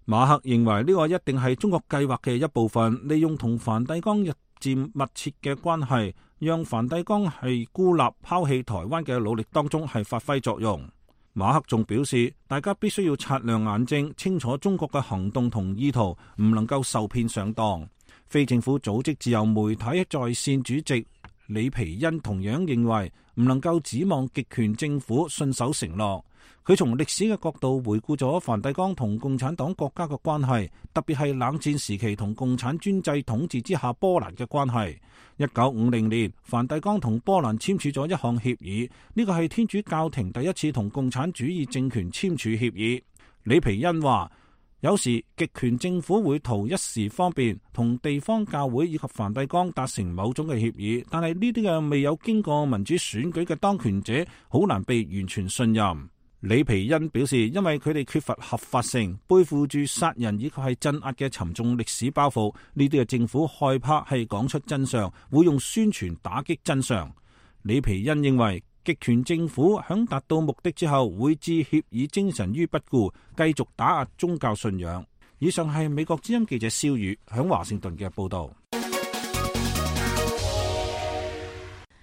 馬克認為呢個一定係中國計劃嘅一部分，利用同梵蒂岡日漸密切嘅關係，讓梵蒂岡係孤立拋棄台灣嘅努力當中係發揮作用。馬克仲表示，大家必須要擦亮眼睛，清楚中國嘅行動同意圖，唔能夠受騙上當。非政府組織自由媒體在線主席李皮恩同樣認為，唔能夠指望極權政府信守承諾。佢從歷史嘅角度回顧咗梵蒂岡同共產黨國家嘅關係，特別係冷戰時期同共產專制統治之下波蘭嘅關係。一九五零年，梵蒂岡同波蘭簽署咗一項協議，呢個係天主教廷第一次同共產主義政權簽署協議。李皮恩話，有時極權政府會圖一時方便，同地方教會以及梵蒂岡達成某種嘅協議，但係呢啲嘅未有經過民主選舉嘅當權者，好難被完全信任。李皮恩表示，因為佢哋缺乏合法性，背負住殺人以及係鎮壓嘅沉重歷史包袱，呢啲嘅政府害怕係講出真相，會用宣傳打擊真相。李皮恩認為，極權政府響達到目的之後，會置協議精神於不顧，繼續打壓宗教信仰。以上係美國之音記者蕭宇響華盛頓嘅報道。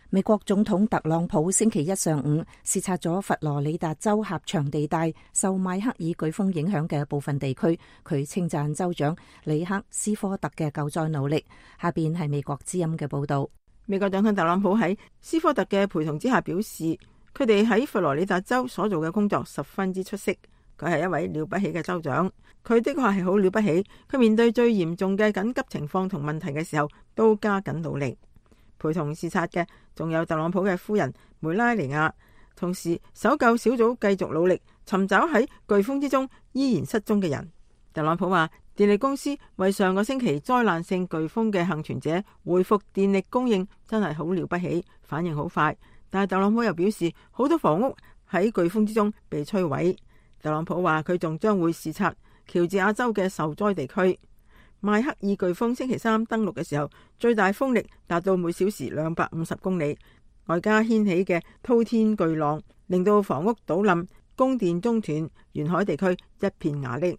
美國總統特朗普星期一上午視察咗佛羅里達州狹長地帶受邁克爾颶風影響嘅部分地區，佢稱讚州長里克斯科特嘅救災努力。下邊係美國之音嘅報道。美國總統特朗普喺斯科特嘅陪同之下表示，佢哋喺佛羅里達州所做嘅工作十分之出色。佢係一位了不起嘅州長，佢的確係好了不起。佢面對最嚴重嘅緊急情況同問題嘅時候，都加緊努力。陪同視察嘅仲有特朗普嘅夫人梅拉尼亞，同時搜救小組繼續努力尋找喺颶風之中依然失蹤嘅人。特朗普話，電力公司為上個星期災難性颶風嘅幸存者恢復電力供應真係好了不起，反應好快。但係特朗普又表示，好多房屋喺颶風之中被摧毀。特朗普話佢仲將會視察喬治亞州嘅受災地區。邁克爾颶風星期三登陸嘅時候，最大風力達到每小時兩百五十公里，外加掀起嘅滔天巨浪，令到房屋倒冧、供電中斷，沿海地區一片瓦礫。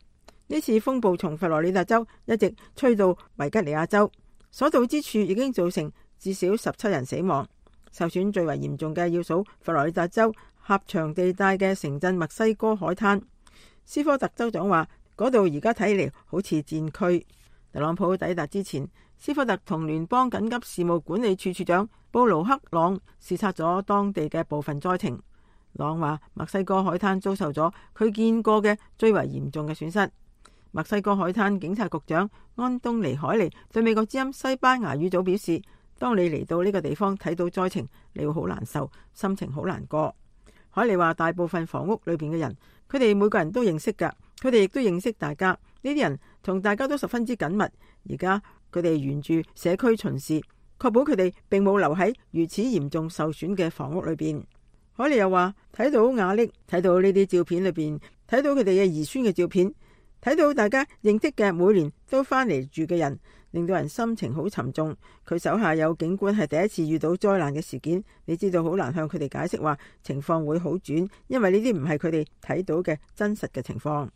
呢次風暴從佛羅里達州一直吹到維吉尼亞州，所到之處已經造成至少十七人死亡。受損最為嚴重嘅要數佛羅里達州狹長地帶嘅城鎮墨西哥海灘。斯科特州長話，嗰度而家睇嚟好似戰區。特朗普抵達之前，斯科特同聯邦緊急事務管理處處長布魯克朗視察咗當地嘅部分災情。朗話，墨西哥海灘遭受咗佢見過嘅最為嚴重嘅損失。墨西哥海灘警察局長安東尼海尼對美國之音西班牙語組表示，當你嚟到呢個地方睇到災情，你會好難受，心情好難過。海尼話，大部分房屋裏邊嘅人，佢哋每個人都認識噶，佢哋亦都認識大家。呢啲人同大家都十分之緊密，而家佢哋沿住社區巡視，確保佢哋並冇留喺如此嚴重受損嘅房屋裏邊。海利又話，睇到瓦礫，睇到呢啲照片裏邊，睇到佢哋嘅兒孫嘅照片，睇到大家認識嘅每年都翻嚟住嘅人，令到人心情好沉重。佢手下有警官係第一次遇到災難嘅事件，你知道好難向佢哋解釋話情況會好轉，因為呢啲唔係佢哋睇到嘅真實嘅情況。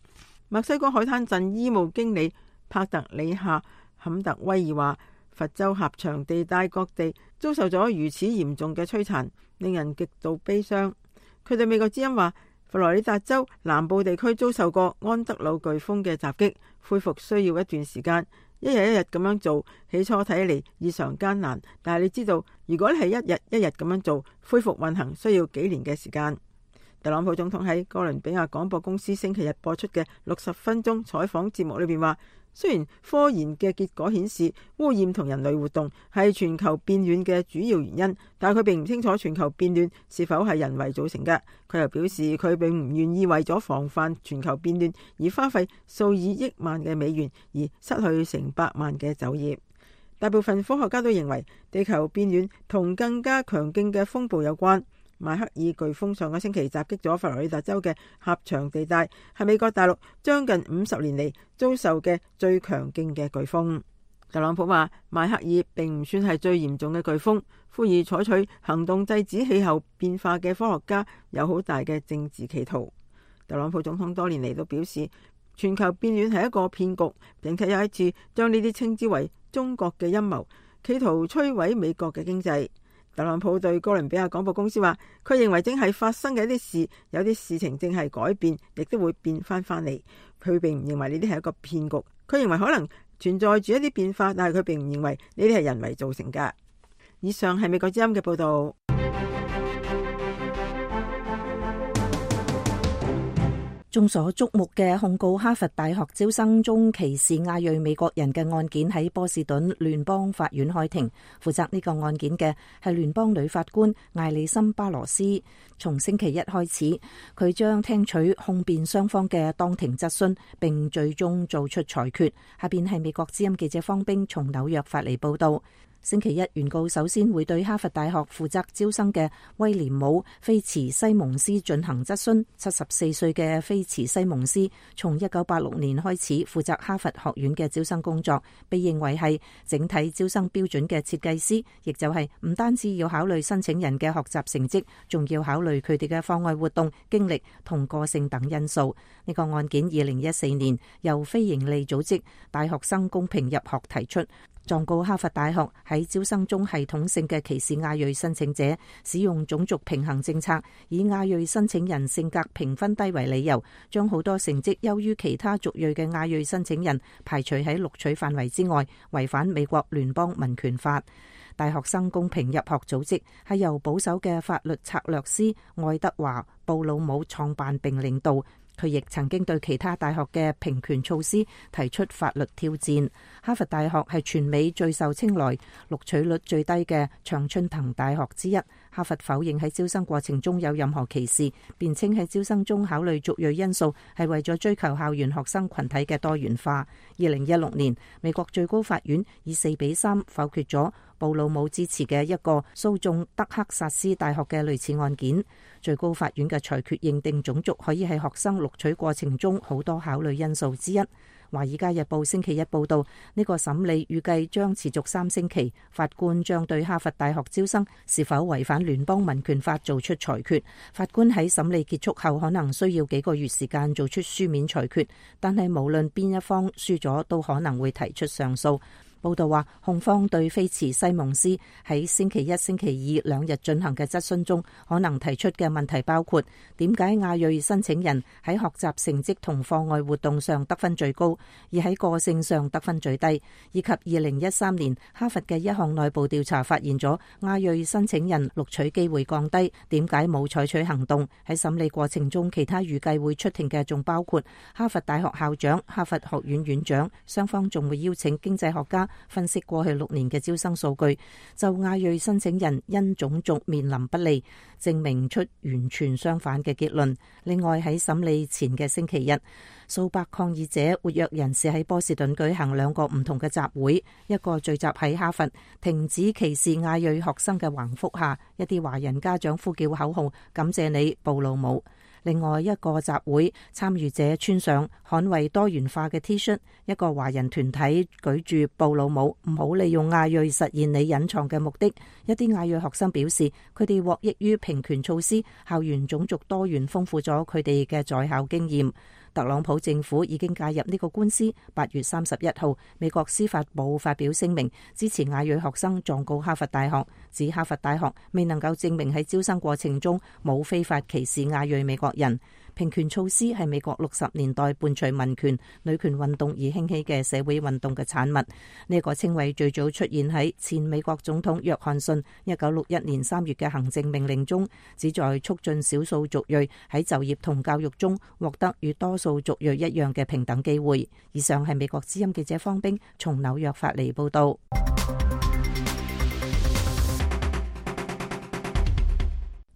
墨西哥海灘鎮醫務經理帕特里夏坎特威爾話，佛州狹長地帶各地遭受咗如此嚴重嘅摧殘，令人極度悲傷。佢對美國之音話，佛羅里達州南部地區遭受過安德魯颶風嘅襲擊，恢復需要一段時間，一日一日咁樣做，起初睇嚟異常艱難，但係你知道，如果你係一日一日咁樣做，恢復運行需要幾年嘅時間。特朗普總統喺哥倫比亞廣播公司星期日播出嘅六十分鐘採訪節目裏邊話，雖然科研嘅結果顯示污染同人類活動係全球變暖嘅主要原因，但係佢並唔清楚全球變暖是否係人為造成嘅。佢又表示佢並唔願意為咗防範全球變暖而花費數以億萬嘅美元，而失去成百萬嘅就業。大部分科學家都認為地球變暖同更加強勁嘅風暴有關。邁克爾颶風上個星期襲擊咗佛羅里達州嘅狹長地帶，係美國大陸將近五十年嚟遭受嘅最強勁嘅颶風。特朗普話，邁克爾並唔算係最嚴重嘅颶風，呼籲採取行動制止氣候變化嘅科學家有好大嘅政治企圖。特朗普總統多年嚟都表示，全球變暖係一個騙局，並且有一次將呢啲稱之為中國嘅陰謀，企圖摧毀美國嘅經濟。特朗普對哥倫比亞廣播公司話，佢認為正係發生嘅一啲事，有啲事情正係改變，亦都會變翻翻嚟。佢並唔認為呢啲係一個騙局，佢認為可能存在住一啲變化，但係佢並唔認為呢啲係人為造成㗎。以上係美國之音嘅報導。眾所矚目嘅控告哈佛大學招生中歧視亞裔美國人嘅案件喺波士頓聯邦法院開庭。負責呢個案件嘅係聯邦女法官艾莉森巴羅斯。從星期一開始，佢將聽取控辯雙方嘅當庭質詢，並最終做出裁決。下邊係美國之音記者方冰從紐約發嚟報道。星期一，原告首先會對哈佛大學負責招生嘅威廉姆菲茨西蒙斯進行質詢。七十四歲嘅菲茨西蒙斯從一九八六年開始負責哈佛學院嘅招生工作，被認為係整體招生標準嘅設計師，亦就係唔單止要考慮申請人嘅學習成績，仲要考慮佢哋嘅課外活動、經歷同個性等因素。呢個案件二零一四年由非營利組織大學生公平入學提出，狀告哈佛大學喺招生中系統性嘅歧視亞裔申請者，使用種族平衡政策，以亞裔申請人性格評分低為理由，將好多成績優於其他族裔嘅亞裔申請人排除喺錄取範圍之外，違反美國聯邦民權法。大學生公平入學組織係由保守嘅法律策略師愛德華布魯姆創辦並領導。佢亦曾經對其他大學嘅平權措施提出法律挑戰。哈佛大學係全美最受青睞、錄取率最低嘅常春藤大學之一。哈佛否認喺招生過程中有任何歧視，辯稱喺招生中考慮族裔因素係為咗追求校園學生群體嘅多元化。二零一六年，美國最高法院以四比三否決咗布魯姆支持嘅一個訴訟德克薩斯大學嘅類似案件。最高法院嘅裁決認定種族可以係學生錄取過程中好多考慮因素之一。華爾街日報星期一報道，呢個審理預計將持續三星期，法官將對哈佛大學招生是否違反聯邦民權法做出裁決。法官喺審理結束後可能需要幾個月時間做出書面裁決，但係無論邊一方輸咗，都可能會提出上訴。報道話，控方對菲茨西蒙斯喺星期一、星期二兩日進行嘅質詢中，可能提出嘅問題包括點解亞裔申請人喺學習成績同課外活動上得分最高，而喺個性上得分最低，以及二零一三年哈佛嘅一項內部調查發現咗亞裔申請人錄取機會降低，點解冇採取行動？喺審理過程中，其他預計會出庭嘅仲包括哈佛大學校長、哈佛學院院長，雙方仲會邀請經濟學家分析過去六年嘅招生數據，就亞裔申請人因種族面臨不利，證明出完全相反嘅結論。另外喺審理前嘅星期日，數百抗議者、活躍人士喺波士頓舉行兩個唔同嘅集會，一個聚集喺哈佛停止歧視亞裔學生嘅橫幅下，一啲華人家長呼叫口號，感謝你布魯姆。另外一個集會參與者穿上捍衛多元化嘅 T 恤，一個華人團體舉住布魯姆唔好利用亞裔實現你隱藏嘅目的。一啲亞裔學生表示，佢哋獲益於平權措施，校園種族多元豐富咗佢哋嘅在校經驗。特朗普政府已經介入呢個官司。八月三十一號，美國司法部發表聲明，支持亞裔學生狀告哈佛大學，指哈佛大學未能夠證明喺招生過程中冇非法歧視亞裔美國人。平權措施係美國六十年代伴隨民權、女權運動而興起嘅社會運動嘅產物。呢、這個稱謂最早出現喺前美國總統約翰遜一九六一年三月嘅行政命令中，旨在促進少數族裔喺就業同教育中獲得與多數族裔一樣嘅平等機會。以上係美國之音記者方冰從紐約發嚟報道。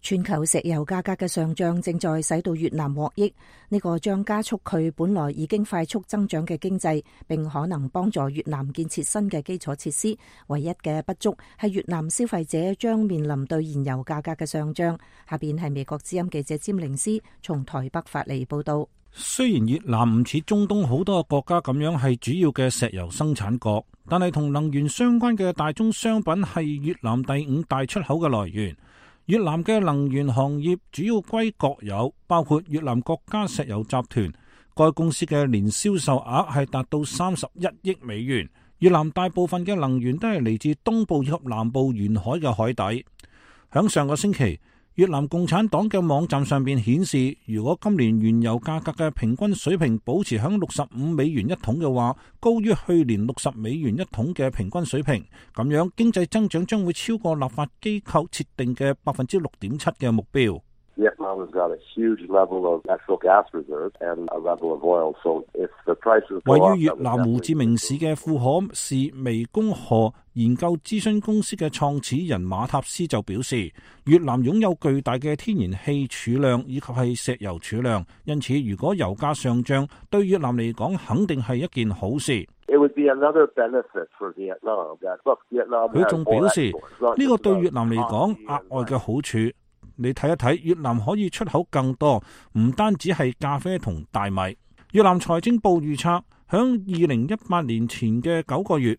全球石油價格嘅上漲正在使到越南獲益，呢個將加速佢本來已經快速增長嘅經濟，並可能幫助越南建設新嘅基礎設施。唯一嘅不足係越南消費者將面臨對燃油價格嘅上漲。下邊係美國之音記者詹寧斯從台北發嚟報道。雖然越南唔似中東好多國家咁樣係主要嘅石油生產國，但係同能源相關嘅大宗商品係越南第五大出口嘅來源。越南嘅能源行業主要歸國有，包括越南國家石油集團，該公司嘅年銷售額係達到三十一億美元。越南大部分嘅能源都係嚟自東部以及南部沿海嘅海底。響上個星期，越南共產黨嘅網站上邊顯示，如果今年原油價格嘅平均水平保持響六十五美元一桶嘅話，高於去年六十美元一桶嘅平均水平，咁樣經濟增長將會超過立法機構設定嘅百分之六點七嘅目標。位於越南胡志明市嘅庫可是湄公河研究諮詢公司嘅創始人馬塔斯就表示，越南擁有巨大嘅天然氣儲量以及係石油儲量，因此如果油價上漲，對越南嚟講肯定係一件好事。佢仲表示，呢個對越南嚟講額外嘅好處。你睇一睇，越南可以出口更多，唔單止係咖啡同大米。越南財政部預測，響二零一八年前嘅九個月，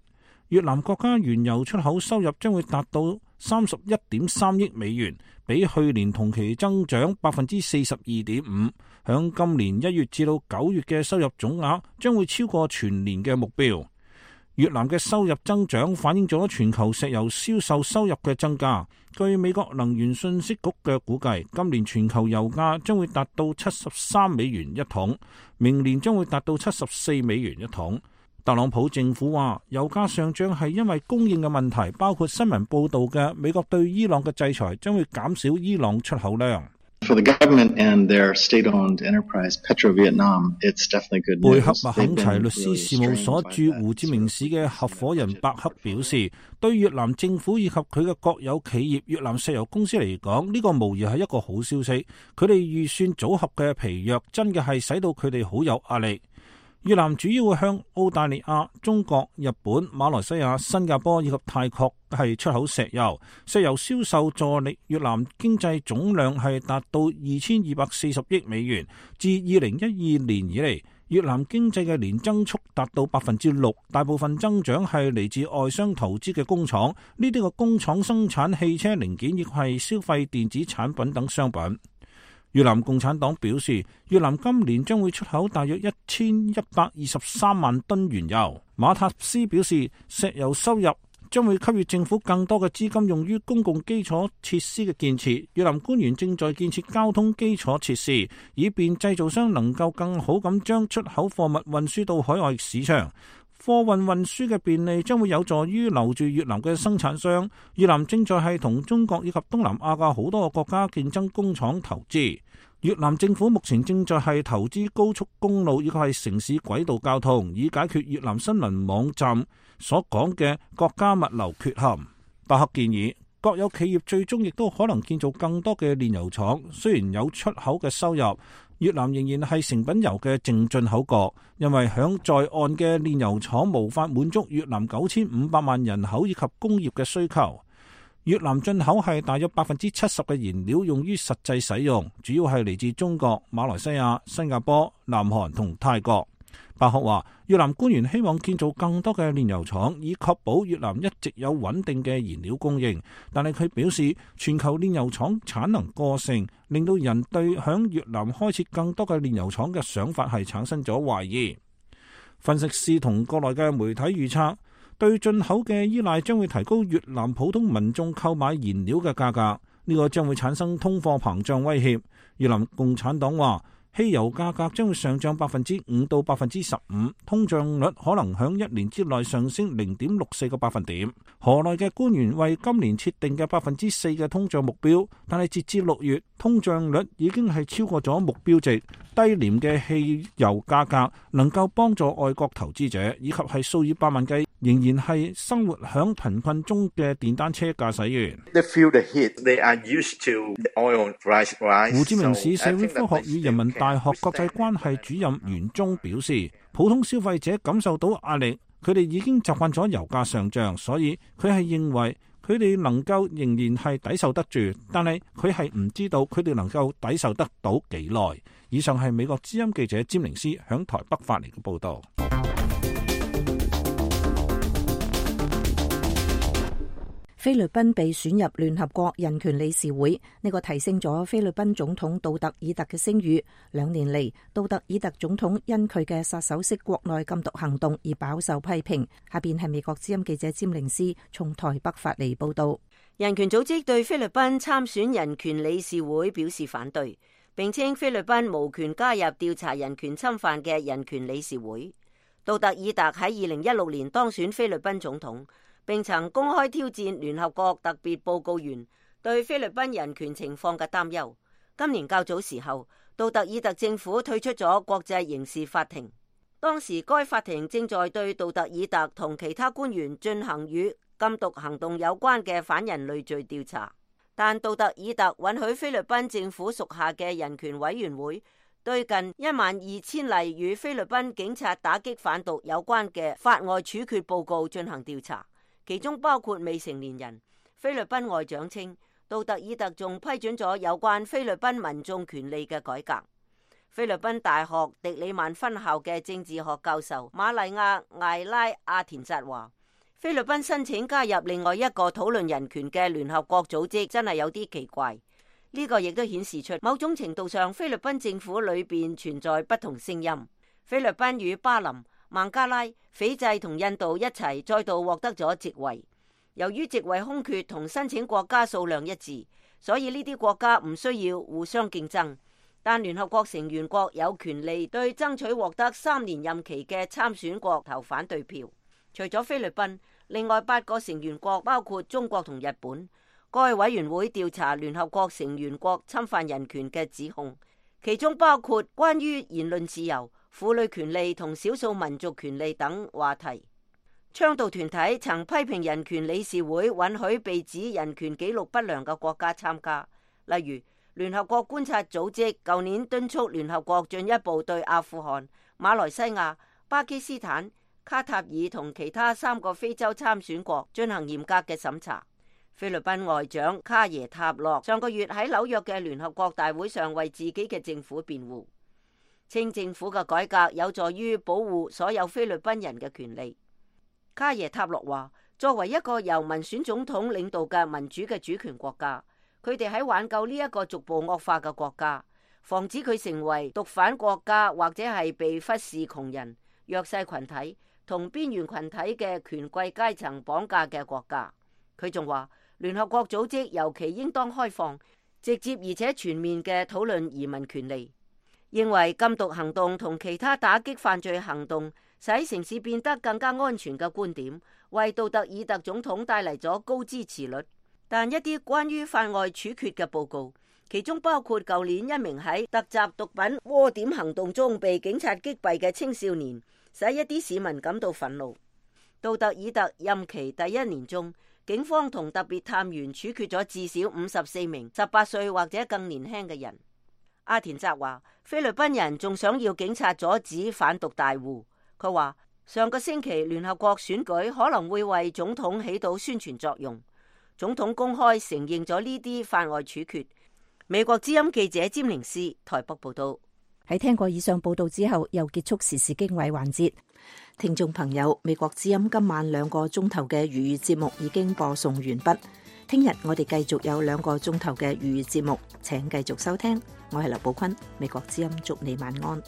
越南國家原油出口收入將會達到三十一點三億美元，比去年同期增長百分之四十二點五。響今年一月至到九月嘅收入總額將會超過全年嘅目標。越南嘅收入增長反映咗全球石油銷售收入嘅增加。據美國能源信息局嘅估計，今年全球油價將會達到七十三美元一桶，明年將會達到七十四美元一桶。特朗普政府話，油價上漲係因為供應嘅問題，包括新聞報道嘅美國對伊朗嘅制裁將會減少伊朗出口量。For the government and their state-owned enterprise Petro-Vietnam, it's definitely good news. 貝克麥肯齊律師事務所駐胡志明市嘅合夥人伯克表示，對越南政府以及佢嘅國有企業越南石油公司嚟講，呢個無疑係一個好消息。佢哋預算組合嘅疲弱，真嘅係使到佢哋好有壓力。越南主要向澳大利亞、中國、日本、馬來西亞、新加坡以及泰國係出口石油，石油銷售助力越南經濟總量係達到二千二百四十億美元。自二零一二年以嚟，越南經濟嘅年增速達到百分之六，大部分增長係嚟自外商投資嘅工廠，呢啲個工廠生產汽車零件亦係消費電子產品等商品。越南共產黨表示，越南今年將會出口大約一千一百二十三萬噸原油。馬塔斯表示，石油收入將會給予政府更多嘅資金用於公共基礎設施嘅建設。越南官員正在建設交通基礎設施，以便製造商能夠更好咁將出口貨物運輸到海外市場。貨運運輸嘅便利將會有助於留住越南嘅生產商。越南正在係同中國以及東南亞嘅好多個國家競爭工廠投資。越南政府目前正在係投資高速公路以及係城市軌道交通，以解決越南新聞網站所講嘅國家物流缺陷。伯克建議國有企業最終亦都可能建造更多嘅煉油廠，雖然有出口嘅收入，越南仍然係成品油嘅淨進口國，因為響在岸嘅煉油廠無法滿足越南九千五百萬人口以及工業嘅需求。越南進口係大約百分之七十嘅燃料用於實際使用，主要係嚟自中國、馬來西亞、新加坡、南韓同泰國。伯克話，越南官員希望建造更多嘅煉油廠，以確保越南一直有穩定嘅燃料供應。但係佢表示，全球煉油廠產能過剩，令到人對響越南開設更多嘅煉油廠嘅想法係產生咗懷疑。分析師同國內嘅媒體預測，對進口嘅依賴將會提高越南普通民眾購買燃料嘅價格，呢個將會產生通貨膨脹威脅。越南共產黨話，汽油價格將會上漲百分之五到百分之十五，通脹率可能響一年之內上升零點六四個百分點。河內嘅官員為今年設定嘅百分之四嘅通脹目標，但係截至六月，通脹率已經係超過咗目標值。低廉嘅汽油價格能夠幫助外國投資者，以及係數以百萬計仍然係生活響貧困中嘅電單車駕駛員。胡志明市社會科學與人民大學國際關係主任袁忠表示，普通消費者感受到壓力，佢哋已經習慣咗油價上漲，所以佢係認為佢哋能夠仍然係抵受得住，但係佢係唔知道佢哋能夠抵受得到幾耐。以上係美國之音記者詹寧斯響台北發嚟嘅報道。菲律賓被選入聯合國人權理事會，呢個提升咗菲律賓總統杜特爾特嘅聲譽。兩年嚟，杜特爾特總統因佢嘅殺手式國內禁毒行動而飽受批評。下邊係美國之音記者詹寧斯從台北發嚟報道。人權組織對菲律賓參選人權理事會表示反對，並稱菲律賓無權加入調查人權侵犯嘅人權理事會。杜特爾特喺二零一六年當選菲律賓總統，並曾公開挑戰聯合國特別報告員對菲律賓人權情況嘅擔憂。今年較早時候，杜特爾特政府退出咗國際刑事法庭，當時該法庭正在對杜特爾特同其他官員進行與禁毒行動有關嘅反人類罪調查，但杜特爾特允許菲律賓政府屬下嘅人權委員會對近一萬二千例與菲律賓警察打擊販毒有關嘅法外處決報告進行調查，其中包括未成年人。菲律賓外長稱，杜特爾特仲批准咗有關菲律賓民眾權利嘅改革。菲律賓大學迪里曼分校嘅政治學教授瑪麗亞艾拉阿田扎話，菲律賓申請加入另外一個討論人權嘅聯合國組織真係有啲奇怪。呢個亦都顯示出某種程度上菲律賓政府裏邊存在不同聲音。菲律賓與巴林、孟加拉、斐濟同印度一齊再度獲得咗席位。由於席位空缺同申請國家數量一致，所以呢啲國家唔需要互相競爭，但聯合國成員國有權利對爭取獲得三年任期嘅參選國投反對票。除咗菲律賓，另外八個成員國包括中國同日本，該委員會調查聯合國成員國侵犯人權嘅指控，其中包括關於言論自由、婦女權利同少數民族權利等話題。倡導團體曾批評人權理事會允許被指人權紀錄不良嘅國家參加，例如聯合國觀察組織舊年敦促聯合國進一步對阿富汗、馬來西亞、巴基斯坦、卡塔爾同其他三個非洲參選國進行嚴格嘅審查。菲律賓外長卡耶塔洛上個月喺紐約嘅聯合國大會上為自己嘅政府辯護，稱政府嘅改革有助於保護所有菲律賓人嘅權利。卡耶塔洛話，作為一個由民選總統領導嘅民主嘅主權國家，佢哋喺挽救呢一個逐步惡化嘅國家，防止佢成為毒販國家或者係被忽視窮人、弱勢群體同邊緣群體嘅權貴階層綁架嘅國家。佢仲話，聯合國組織尤其應當開放、直接而且全面嘅討論移民權利，認為禁毒行動同其他打擊犯罪行動使城市變得更加安全嘅觀點，為杜特爾特總統帶嚟咗高支持率。但一啲關於法外處決嘅報告，其中包括舊年一名喺突襲毒品窩點行動中被警察擊斃嘅青少年，使一啲市民感到憤怒。杜特爾特任期第一年中，警方同特別探員處決咗至少五十四名十八歲或者更年輕嘅人。阿田澤話，菲律賓人仲想要警察阻止販毒大戶。佢話上個星期聯合國選舉可能會為總統起到宣傳作用。總統公開承認咗呢啲法外處決。美國之音記者詹寧斯台北報道。喺聽過以上報道之後，又結束時事經緯環節。聽眾朋友，美國之音今晚兩個鐘頭嘅粵語節目已經播送完畢。聽日我哋繼續有兩個鐘頭嘅粵語節目，請繼續收聽。我係劉寶坤，美國之音祝你晚安。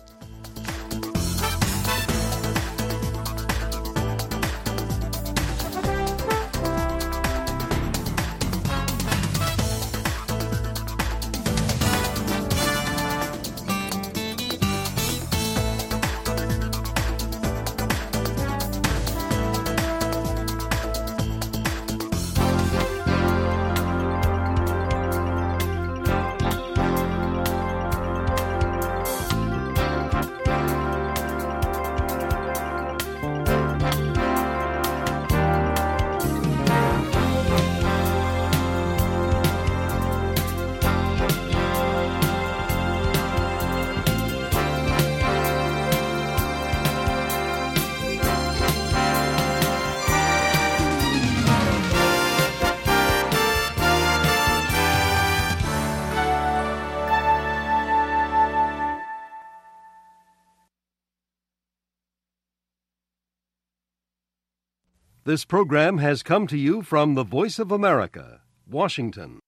This program has come to you from the Voice of America, Washington.